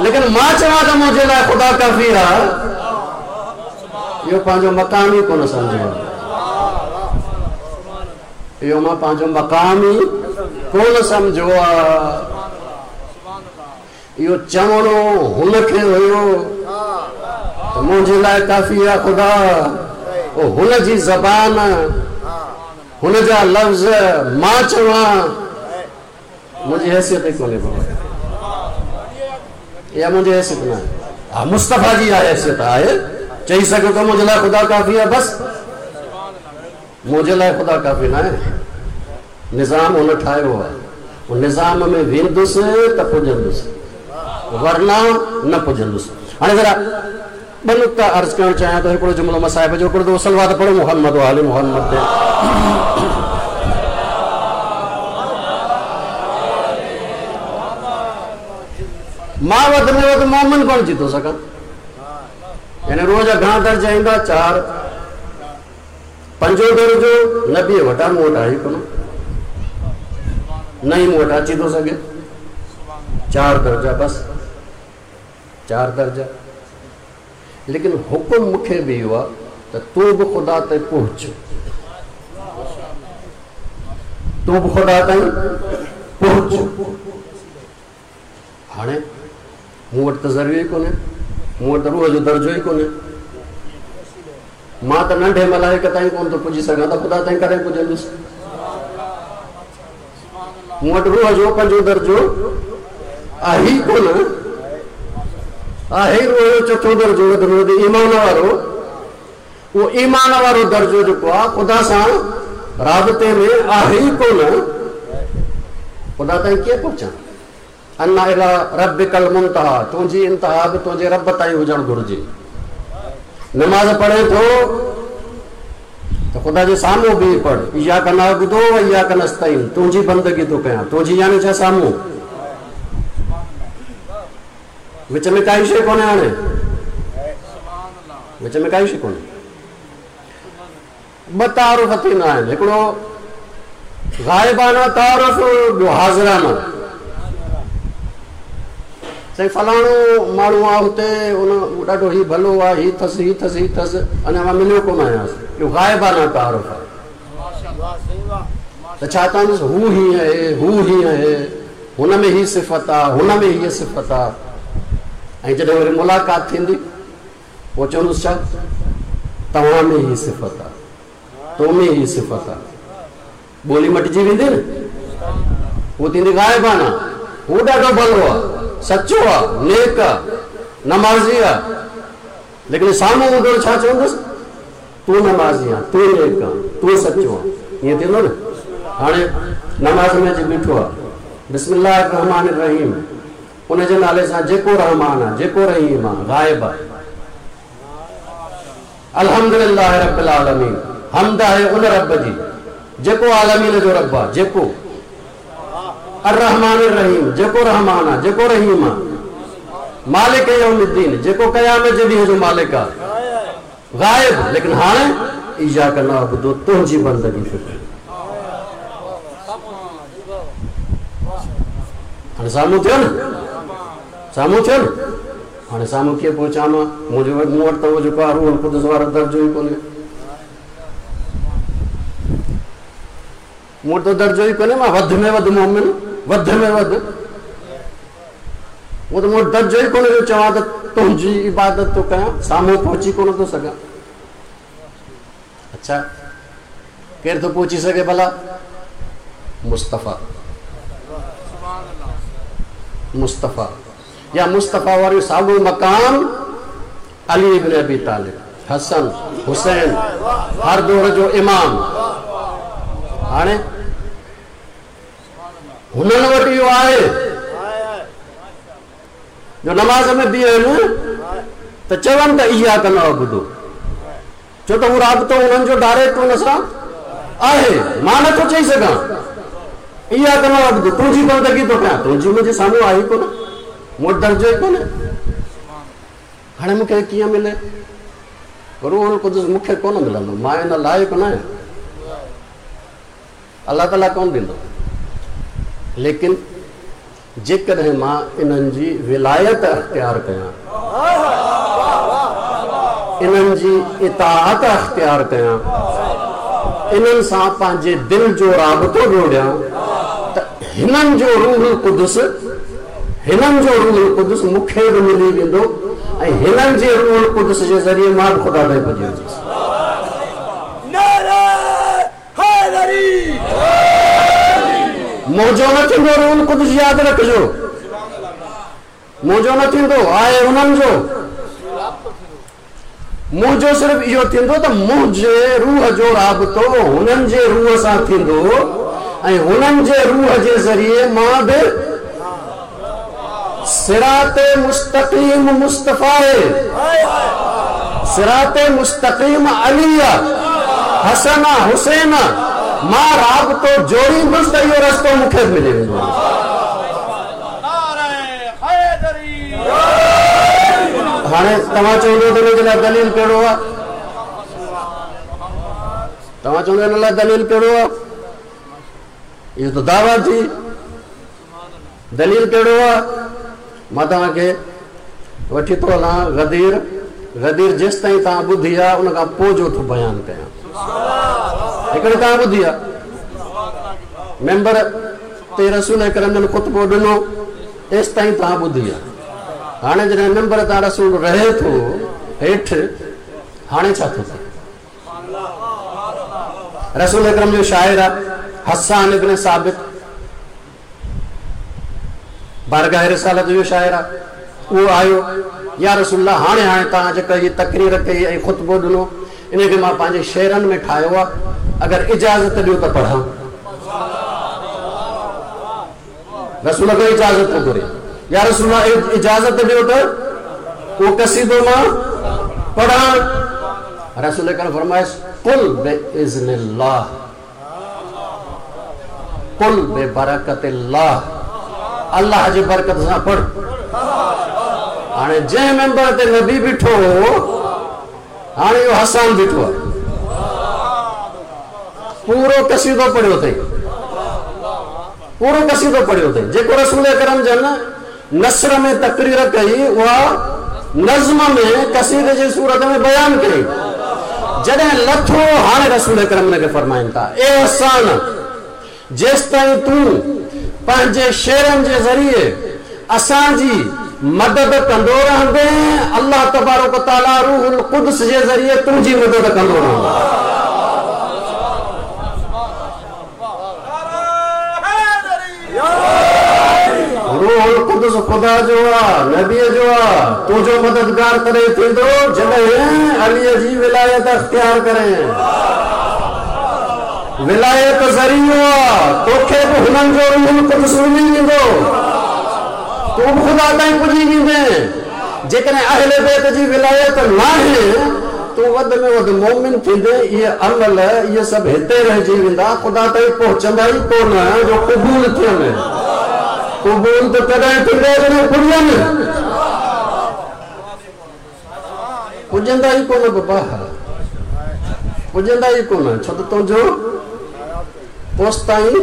लेकिन मां चवां त मुंहिंजे लाइ ख़ुदा काफ़ी आहे, इहो पंहिंजो मक़ाम ई कोन सम्झो आहे, इहो मां पंहिंजो मक़ाम ई कोन सम्झो आहे। इहो चवणो हुनखे हुयो त मुंहिंजे लाइ काफ़ी आहे ख़ुदा, उहो हुनजी ज़बान, हुनजा लफ़्ज़ मां चवां, मुंहिंजी हैसियत ई कोन्हे बाबा, इहा मुंहिंजी हैसियत न आहे। हा, मुस्तफ़ा जी इहा हैसियत आहे, चई सघे थो मुंहिंजे लाइ ख़ुदा काफ़ी आहे, बसि मुंहिंजे लाइ ख़ुदा काफ़ी न आहे। निज़ाम हुन ठाहियो आहे, उन निज़ाम में वेंदुसि त पुॼंदुसि, वरना न पुॼंदुसि। हाणे ज़रा ॿ नुक्ता अर्ज़ु करणु चाहियां थो। हिकिड़ो जुमिलो मां साहिब जो, हिकिड़ो सलवात पढ़ो मुहम्मद आले मुहम्मद ते। मां वधि में वधि मोमिन बणिजी थो सघां, यानी रोज़ जा घणा दर्जा ईंदा? चारि। पंजो दर्जो नबीअ वटां, मूं वटि आहे ई कोन, न ई मूं वटि अची थो सघे। चारि दर्जा बसि, चारि दर्जा। लेकिन हुकुम मूंखे बि इहो आहे त तूं बि ख़ुदा ते पहुच, तूं बि ख़ुदा ताईं पहुच। हाणे मूं वटि त ज़रियो ई कोन्हे, मूं वटि त रूह जो दर्जो ई कोन्हे, मां त नंढे मलाइक ताईं कोन थो पुॼी सघां, त ख़ुदा ताईं कॾहिं पुॼंदुसि? मूं वटि रूह जो पंजो दर्जो आहे ई कोन, आहे रूह जो चोथों दर्जो वधि में वधि ईमान वारो। उहो ईमान वारो दर्जो जेको आहे ख़ुदा सां राबते में आहे ई कोन, ख़ुदा ताईं कीअं पहुचां? अन्ना इला रब्बिकल मुंतहा, तुंहिंजी इंतहा बि तुंहिंजे रब ताईं हुजणु घुरिजे। नमाज़ पढ़े थो त ख़ुदा जे साम्हूं बि पढ़, इय्याक नअबुदु व इय्याक नस्तईन, तुंहिंजी बंदगी थो कयां, तुंहिंजी यानी छा? साम्हूं, विच में काई शइ कोन्हे। हाणे विच में काई शइ कोन्हे। ॿ तारुफ़ थींदा आहिनि, हिकिड़ो ग़ाइबाना तारुफ़, ॿियो हाज़िराना। साईं फलाणो माण्हू आहे हुते, उन ॾाढो ही भलो आहे, ही अथसि ही अथसि ही अथसि, अञा मां मिलियो कोन आहियांसि, इहो ग़ाइबाना तारुफ़ आहे। त छा चवंदुसि? हू हीअं आहे, हू हीअं आहे, हुन में हीअ सिफ़त आहे, हुन में हीअ सिफ़त आहे। ऐं जॾहिं वरी मुलाक़ात थींदी पोइ चवंदुसि छा? तव्हां में हीअ सिफ़त आहे, तो में हीअ सिफ़त आहे। ॿोली मटिजी वेंदी न, उहो थींदी ग़ाइबाना। हू ॾाढो भलो आहे, सचो आहे, नेक आहे, नमाज़ी आहे, लेकिन साम्हूं हूंदो छा चवंदुसि? तूं नमाज़ी आहीं, तूं नेक आहीं, तूं सचो आहीं, ईअं थींदो न। हाणे नमाज़ में अची बीठो आहे, बिस्मिल्लाह रहमान रहीम, उन जे नाले सां जेको रहमान आहे, जेको रहीम आहे, ग़ाइब आहे। अल्हम्दुलिल्लाह रब्बिल आलमीन, हम्द आहे उन रब जी जेको आलमीन जो रब आहे, जेको अर्रहमान रहीम, जेको रहमान आहे, जेको रहीम आहे, मालिक यौमिद्दीन, जेको क़यामत जे ॾींहं जो मालिक आहे, ग़ाइब। लेकिन हाणे इय्याक नअबुदु, तुंहिंजी बंदगी थो कयां। हाणे साम्हूं थियो न, साम्हूं थियो न, हाणे साम्हूं कीअं पहुचां मां? मुंहिंजो मूं वटि त उहो जेको आहे रूहुल क़ुदुस वारो दर्जो ई कोन्हे, मूं वटि त दर्जो ई कोन्हे। मां वधि में वधि मोमिन, वधि में वधि, उहो त मूं वटि दर्जो ई कोन्हे जो चवां त तुंहिंजी इबादत थो कयां, साम्हूं पहुची कोन थो सघां। अच्छा, केरु थो पहुची सघे भला? मुस्तफ़ा, मुस्तफ़ा या मुस्तफ़ा वारो साॻियो मकाम अली इब्न अबी तालिब, हसन, हुसैन, हर दौर जो इमाम। हाणे हुननि वटि इहो आहे जो नमाज़ में बीहनि त चवनि त इयाक नअबुदु, छो त उहो राबितो उन्हनि जो डायरेक्ट हुन सां आहे। मां नथो चई सघां इयाक नअबुदु, तुंहिंजी बंदगी थो कयां, तुंहिंजी मुंहिंजे साम्हूं आहे ई कोन, मूं वटि दर्जो ई कोन्हे। हाणे मूंखे कीअं मिले? रूहुल कुदुस मूंखे कोन मिलंदो, मां इन लाइक़ न आहियां, अलाह ताला कोन ॾींदो। लेकिन जेकॾहिं मां इन्हनि जी विलायत अख़्तियार कयां, इन्हनि जी इताअत अख़्तियार कयां, इन्हनि सां पंहिंजे दिलि जो राबितो जोड़ियां, त हिननि जो रूहुल कुदुस, हिननि जो रूहुल कुदुस मूंखे बि मिली वेंदो ऐं हिननि जे रूहुल कुदुस जे ज़रिए मां बि ख़ुदा ताईं पुॼी वञंदुसि। मुंहिंजो न थींदो रूहुल कुदुस, यादि रखिजो, मुंहिंजो न थींदो, आहे उन्हनि जो। मुंहिंजो सिर्फ़ु इहो थींदो त मुंहिंजे रूह जो राबितो हुननि जे रूह सां थींदो ऐं हुननि जे रूह जे ज़रिए मां बि सिरात मुस्तक़ीम मुस्तफ़ा आहे, सिरात मुस्तक़ीम अली आहे, हसन आहे, हुसैन आहे, मां राबितो जोड़ींदुसि त इहो रस्तो मूंखे बि मिली वेंदो। हाणे तव्हां चवंदो त हिन जे लाइ दलील कहिड़ो आहे? तव्हां चवंदो हिन लाइ दलील कहिड़ो आहे? इहो त दावा थी, दलील कहिड़ो आहे? मां तव्हांखे वठी थो हलां गदीर, गदीर जेसि ताईं तव्हां ॿुधी आहे उन खां पोइ जो थो बयानु कयां। हिकिड़ी तव्हां ॿुधी आहे, मेंबर ते रसूल अकरम जन ख़ुतबो ॾिनो, तेसि ताईं तव्हां ॿुधी आहे। हाणे जॾहिं मेंबर तां रसूल रहे थो हेठि, हाणे छा थो थिए? रसूल अकरम जो शाइर आहे हसान इब्न साबित, बारगाह रिसालत जो शाइर आहे, उहो आयो, या रसूलुल्लाह हाणे हाणे तव्हां जेका हीअ तकरीर कई ऐं ख़ुतबो ॾिनो, इन खे मां पंहिंजे शेरनि में ठाहियो आहे, अगरि इजाज़त ॾियो त पढ़ां। रसूल खां इजाज़त थो घुरे, या रसूलुल्लाह इजाज़त ॾियो त उहो कसीदो मां पढ़ां। रसूल करम फरमायसि कुल बिइज़्निल्लाह, कुल बिबरकतिल्लाह, अल्लाह जी बरकत सां पढ़। हाणे जंहिं मेंबर ते नबी बीठो हो, हाणे इहो हसान बीठो आहे, पूरो कसीदो पढ़ियो अथई, पूरो कसीदो पढ़ियो अथई। जेको रसूल करम जन नसर में तकरीर कई, उहा नज़्म में कसीदे जी सूरत में बयान कई। जॾहिं लथो, हाणे रसूल करम हुनखे फरमाइनि था, ए हसान, जेसि ताईं तूं पंहिंजे शेरनि जे ज़रिए असांजी मदद कंदो रहंदे, अल्लाह तबारक तआला रूहुल कुदस जे ज़रिए तुंहिंजी मदद कंदो रहंदो। रूहुल कुदस ख़ुदा जो आहे, नबीअ जो आहे, तुंहिंजो मददगार तॾहिं थींदो जॾहिं अलीअ जी विलायत अख़्तियार करे। विलायत ज़रियो आहे, तोखे बि हुननि जो रूहुल कुदस मिली वेंदो, तूं बि ख़ुदा ताईं पुॼी वेंदे। जेकॾहिं अहले बैत जी विलायत नाहे, तूं वधि में वधि मोमिन थींदे, इहे अमल इहे सभु हिते रहिजी वेंदा, ख़ुदा ताईं पहुचंदा ई कोन जो क़बूल थियनि। क़बूल त तॾहिं थींदो जॾहिं पुॼनि, पुॼंदा ई कोन बाबा, पुॼंदा ई कोन, छो त तुंहिंजो पोसि ताईं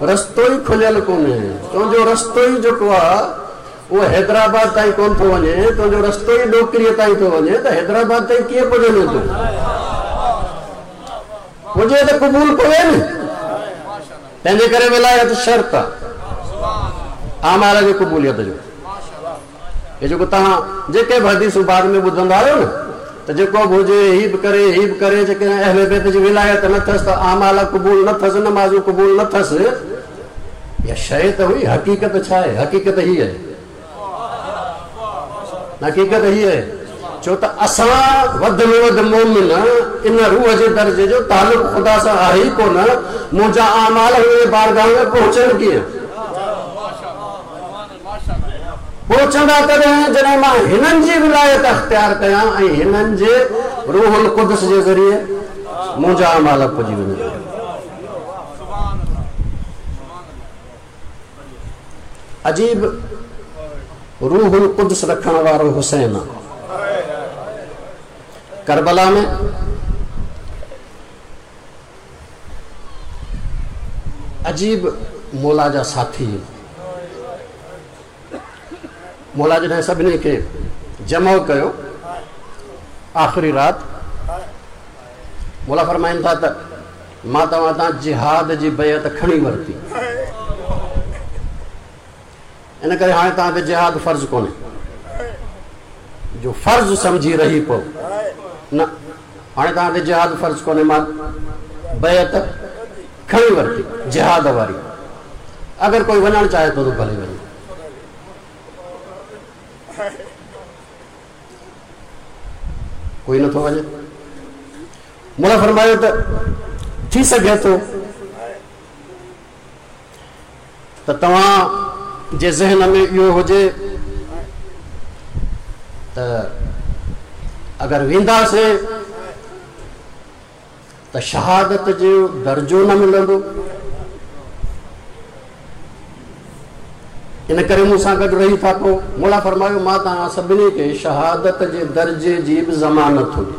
रस्तो ई खुलियल कोन्हे। तुंहिंजो रस्तो ई जेको आहे उहो हैदराबाद ताईं कोन थो वञे, तुंहिंजो रस्तो ई ॾोकरीअ ताईं थो वञे, त हैदराबाद ताईं कीअं पुॼंदो तूं? पुॼे त क़बूल पवे न। तंहिंजे करे विलायत शर्त आहे आमाल जी क़बूलियत जो। हे जेको तव्हां जेके बि हदीसूं बाद में ॿुधंदा आहियो न, त जेको बि हुजे हीअ बि करे हीअ बि करे, जेकॾहिं अहले बैत जी विलायत न अथसि त आमाल क़बूल न अथसि, नमाज़ूं क़बूल न अथसि। इहा शइ त हुई, हक़ीक़त छा आहे? हक़ीक़त हीअ आहे, हक़ीक़त हीअ आहे। छो त असां वधि में वधि मोमिन इन रूह जे दर्जे जो तालुक ख़ुदा सां आहे ई कोन। मुंहिंजा आमाल हुन बारगाह में पहुचनि कीअं? पहुचंदा तॾहिं जॾहिं मां हिननि जी विलायत अख़्तियार कयां ऐं हिननि जे रूहुल कुदुस जे ज़रिए मुंहिंजा आमाल पुॼी वञनि। अजीब रूहुल कुदुस रखण वारो हुसैन आहे। करबला में अजीब मौला जा साथी, मौला जॾहिं सभिनी खे जमो कयो आख़िरी राति, मौला फरमाइनि था त मां तव्हां तां जिहाद जी बैअत खणी वरिती, इन करे हाणे तव्हां ते जिहाद फ़र्ज़ कोन्हे, जो फ़र्ज़ सम्झी रही पओ न, हाणे तव्हां ते जिहाद फ़र्ज़ कोन्हे, मां बैअत खणी वरिती जिहाद वारी, अगरि कोई वञणु चाहे थो त भले वञे। कोई नथो वञे। मौला फरमायो त थी सघे थो त तव्हां जे ज़हन में इहो हुजे त अगरि वेंदासीं त शहादत जो दर्जो न मिलंदो, इन करे मूंसां गॾु रही था पओ। मौला फरमायो मां तव्हां सभिनी खे शहादत जे दर्जे जी बि ज़मानत हुई।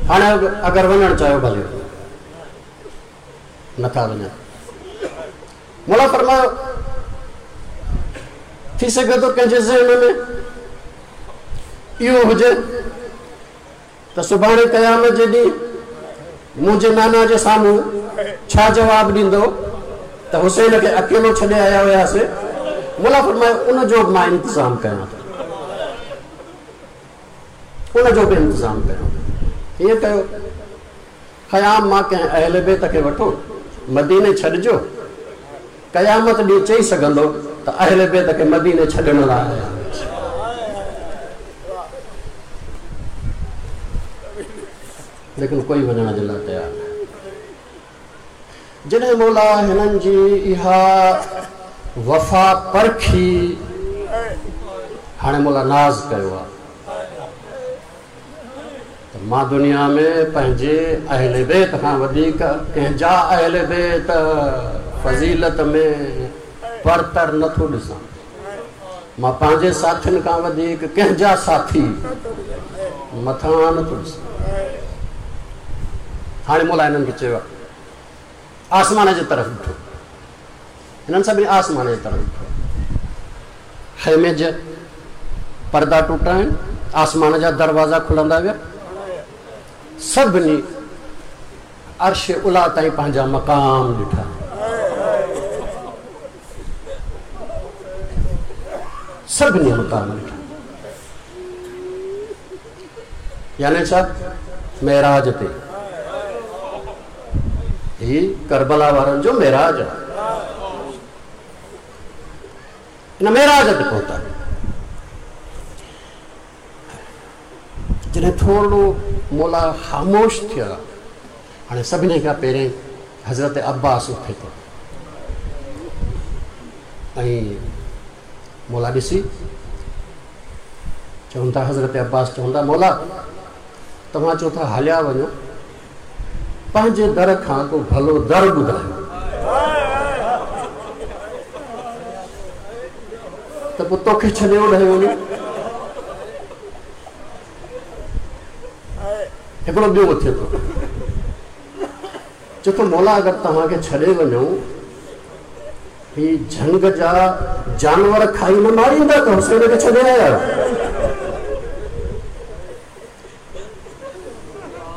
हाणे अगरि वञणु चाहियो भले, नथा वञनि। मौला फरमायो थी सघे थो कंहिंजे ज़हन में इहो हुजे त सुभाणे क़यामत जे ॾींहुं मुंहिंजे नाना जे साम्हूं छा जवाबु ॾींदो त हुसैन खे अकेलो छॾे आया हुयासीं। मौला फरमायो उनजो बि मां इंतज़ामु कयां थो, उनजो बि इंतज़ामु कयां थो। ईअं कयो ख़याम मां कंहिं अहल बैत खे वठो, मदीने छॾिजो, क़यामत ॾींहुं चई सघंदो त अहल बैत खे मदीने छॾण लाइ आया। लेकिन कोई वञण जे लाइ तयारु न। जॾहिं मौला हिननि जी इहा वफ़ा परखी, हाणे मौला नाज़ कयो आहे त मां दुनिया में पंहिंजे अहल बैत खां वधीक कंहिंजा अहल बैत फ़ज़ीलत में परतर नथो ॾिसां। मां पंहिंजे साथियुनि खां वधीक कंहिंजा साथी मथां नथो ॾिसां। हाणे मौला हिननि खे चयो आहे आसमान जे तरफ़ ॾिठो, हिननि सभिनी आसमान जे तरफ़ ॾिठो, ख़ैमे जा पर्दा टुटा आहिनि, आसमान जा दरवाज़ा खुलंदा विया, सभिनी अर्श उला ताईं पंहिंजा मक़ाम ॾिठा। सभिनी मक़ाम ॾिठा, यानी छा मेराज ते, ही करबला वारनि जो मेराज आहे। इन मेराज ते पहुता। जॾहिं थोरो मौला ख़ामोश थिया, हाणे सभिनी खां पहिरियों हज़रत अब्बास उथे थो ऐं मौला ॾिसी चवनि था, हज़रत अब्बास चवनि था मौला तव्हां चओ था हलिया वञो, पंहिंजे दर खां को भलो दर ॿुधायो त पोइ तोखे छॾे ओॾे वञो। हिकिड़ो ॿियो उथे थो, चए थो मौला अगरि तव्हांखे छॾे वञूं ही झंग जा जानवर खाई न मारींदा त हुसैन खे छॾे आया।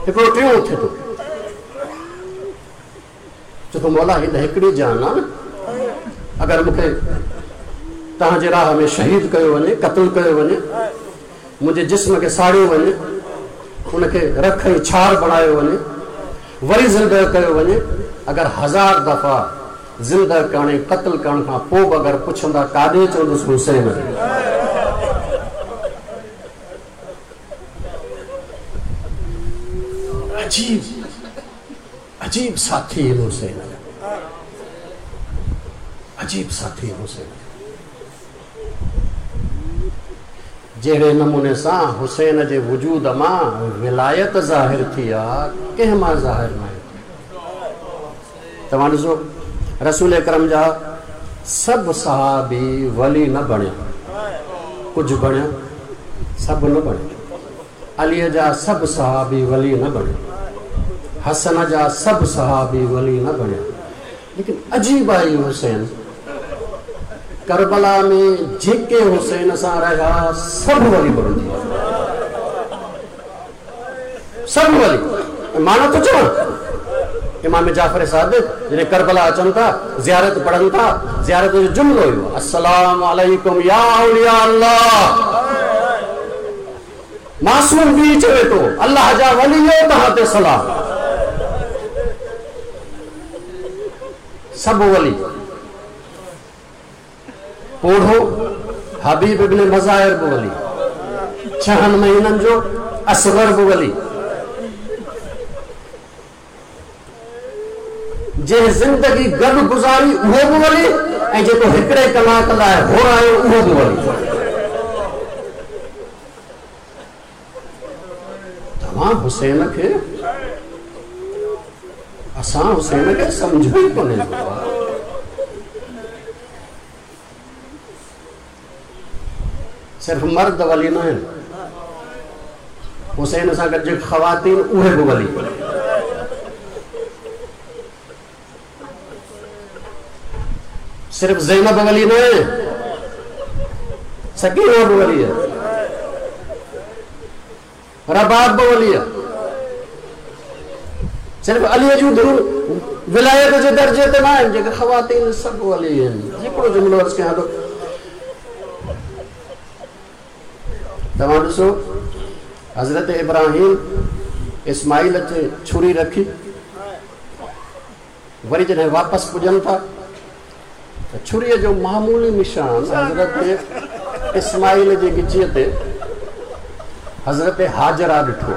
हिकिड़ो टियों उथे थो, चए थो मौला ही त हिकिड़ी जान आहे न, अगरि मूंखे तव्हांजे राह में शहीद कयो वञे, क़तलु कयो वञे, मुंहिंजे जिस्म खे साड़ियो वञे, उनखे रख ऐं छार बणायो वञे, वरी ज़िंदा कयो वञे, अगरि हज़ार दफ़ा ज़िंदा करण ऐं क़तल करण खां पोइ बि अगरि पुछंदा काॾे चवंदुसि हुसैन। अजीब अजीब साथी आहिनि हुसैन जा, अजीब साथी आहिनि हुसैन जा। जहिड़े नमूने सां हुसैन जे वजूद मां विलायत ज़ाहिर थी आहे, कंहिं मां ज़ाहिर न आहे। तव्हां ॾिसो रसूल अकरम जा सभु सहाबी वली न बणिया, कुझु बणिया, सभु न बणिया। अलीअ जा सभु सहाबी वली न बणिया, हसन जा सभु सहाबी वली न बणिया। लेकिन अजीब आई हुसैन करबला में जेके हुसैन सां रहिया सभु वली बणिजी विया, सभु वली। मां नथो चवां, इमाम जाफ़र सादिक जॾहिं करबला अचनि था, ज़ियारत पढ़नि था, ज़ियारत जो जुमिलो हुयो अस्सलाम अलैकुम या औलिया अल्लाह। मासूम बि चवे थो अल्लाह जा वली तव्हां ते सलाम। सभु वली। पोढ़ो हबीब इब्न मज़ाहिर बि वली, छहनि महीननि जो असगर बि वली, जंहिं ज़िंदगी गॾु गुज़ारी उहो बि वली, ऐं जेको हिकिड़े कलाक लाइ होरायो उहो बि वली। तव्हां हुसैन खे, असां हुसैन खे सम्झो ई कोन्हे। सिर्फ़ मर्द वली न आहिनि, हुसैन सां गॾु जेके ख़वातीन उहे बि वली। सिर्फ़ ज़ैनब वली न आहे, सकीना बि वली आहे, रबाब बि वली आहे। सिर्फ़ अलीअ जूं धियूं विलायत जे दर्जे ते न आहिनि, जेके ख़वातीन सभु वली आहिनि। हिकिड़ो जुमिलो अर्ज़ु कयां थो, तव्हां ॾिसो हज़रत इब्राहिम इस्माइल ते छुरी रखी, वरी जॾहिं वापसि पुॼनि था त छुरीअ जो मामूली निशान हज़रत इस्माइल जे ॻिचीअ ते हज़रत हाजरा ॾिठो।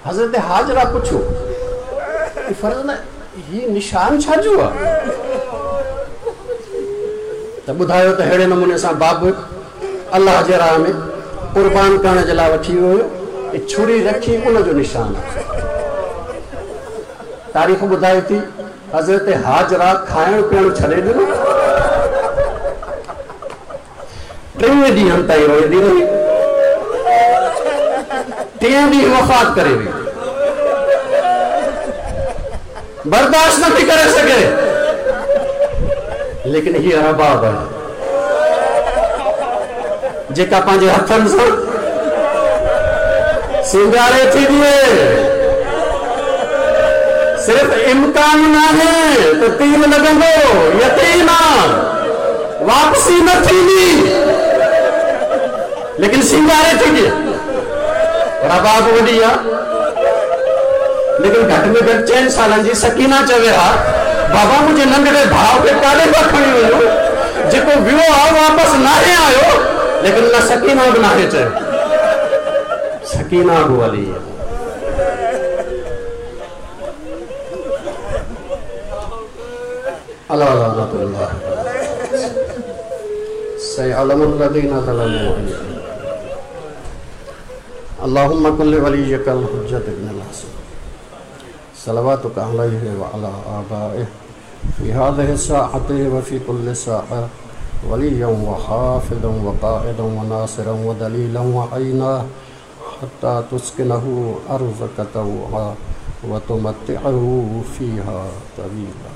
हज़रत हाजरा पुछियो फ़र्ज़ न हीउ निशान छाजो आहे? त ॿुधायो त अहिड़े नमूने सां बाबु अल्लाह जे राह में क़ुर्बान करण जे लाइ वठी वियो हुयो, छुरी रखी उनजो निशान आहे। तारीख़ ॿुधाए थी हज़रत हाजरा खाइण पीअणु छॾे ॾिनो, टीह ॾींहनि ताईं रोईंदी रही, टीह ॾींहं वफ़ात करे वई, बर्दाश्त नथी करे सघे। लेकिन हीअ रबाब आहे जेका पंहिंजे हथनि सां सिंगारे थी ॾिए। सिर्फ़ इम्कान न आहे त तीर लॻंदो, यकीन आहे वापसी न थींदी, लेकिन सिंगारे थी ॾिए। रबाब वॾी आहे, लेकिन घटि में घटि चइनि सालनि जी सकीना चवे हा बाबा मुंहिंजे नंढड़े भाउ खे काॾे था खणी वञो, जेको वियो आहे वापसि नाहे आयो। लेकिन न सकीना बि नाहे चयो, सकीना बि वली आहे। अला लानतुल्लाह सयअलमुल लज़ीना ज़लमू। अल्लाहुम्मा कुल्लि वलिय्यिकल हुज्जत इब्नुल हसन सलवातुक अलैहि व अला आबाइहि फ़ी हाज़िहि साअति व फ़ी कुल्लि साअ वलिय्यन व हाफ़िज़न व क़ाइदन व नासिरन व दलीलन व ऐना हत्ता तुस्किनहु अर्ज़क तौआ व तुमत्तिअहु फ़ीहा तवीला।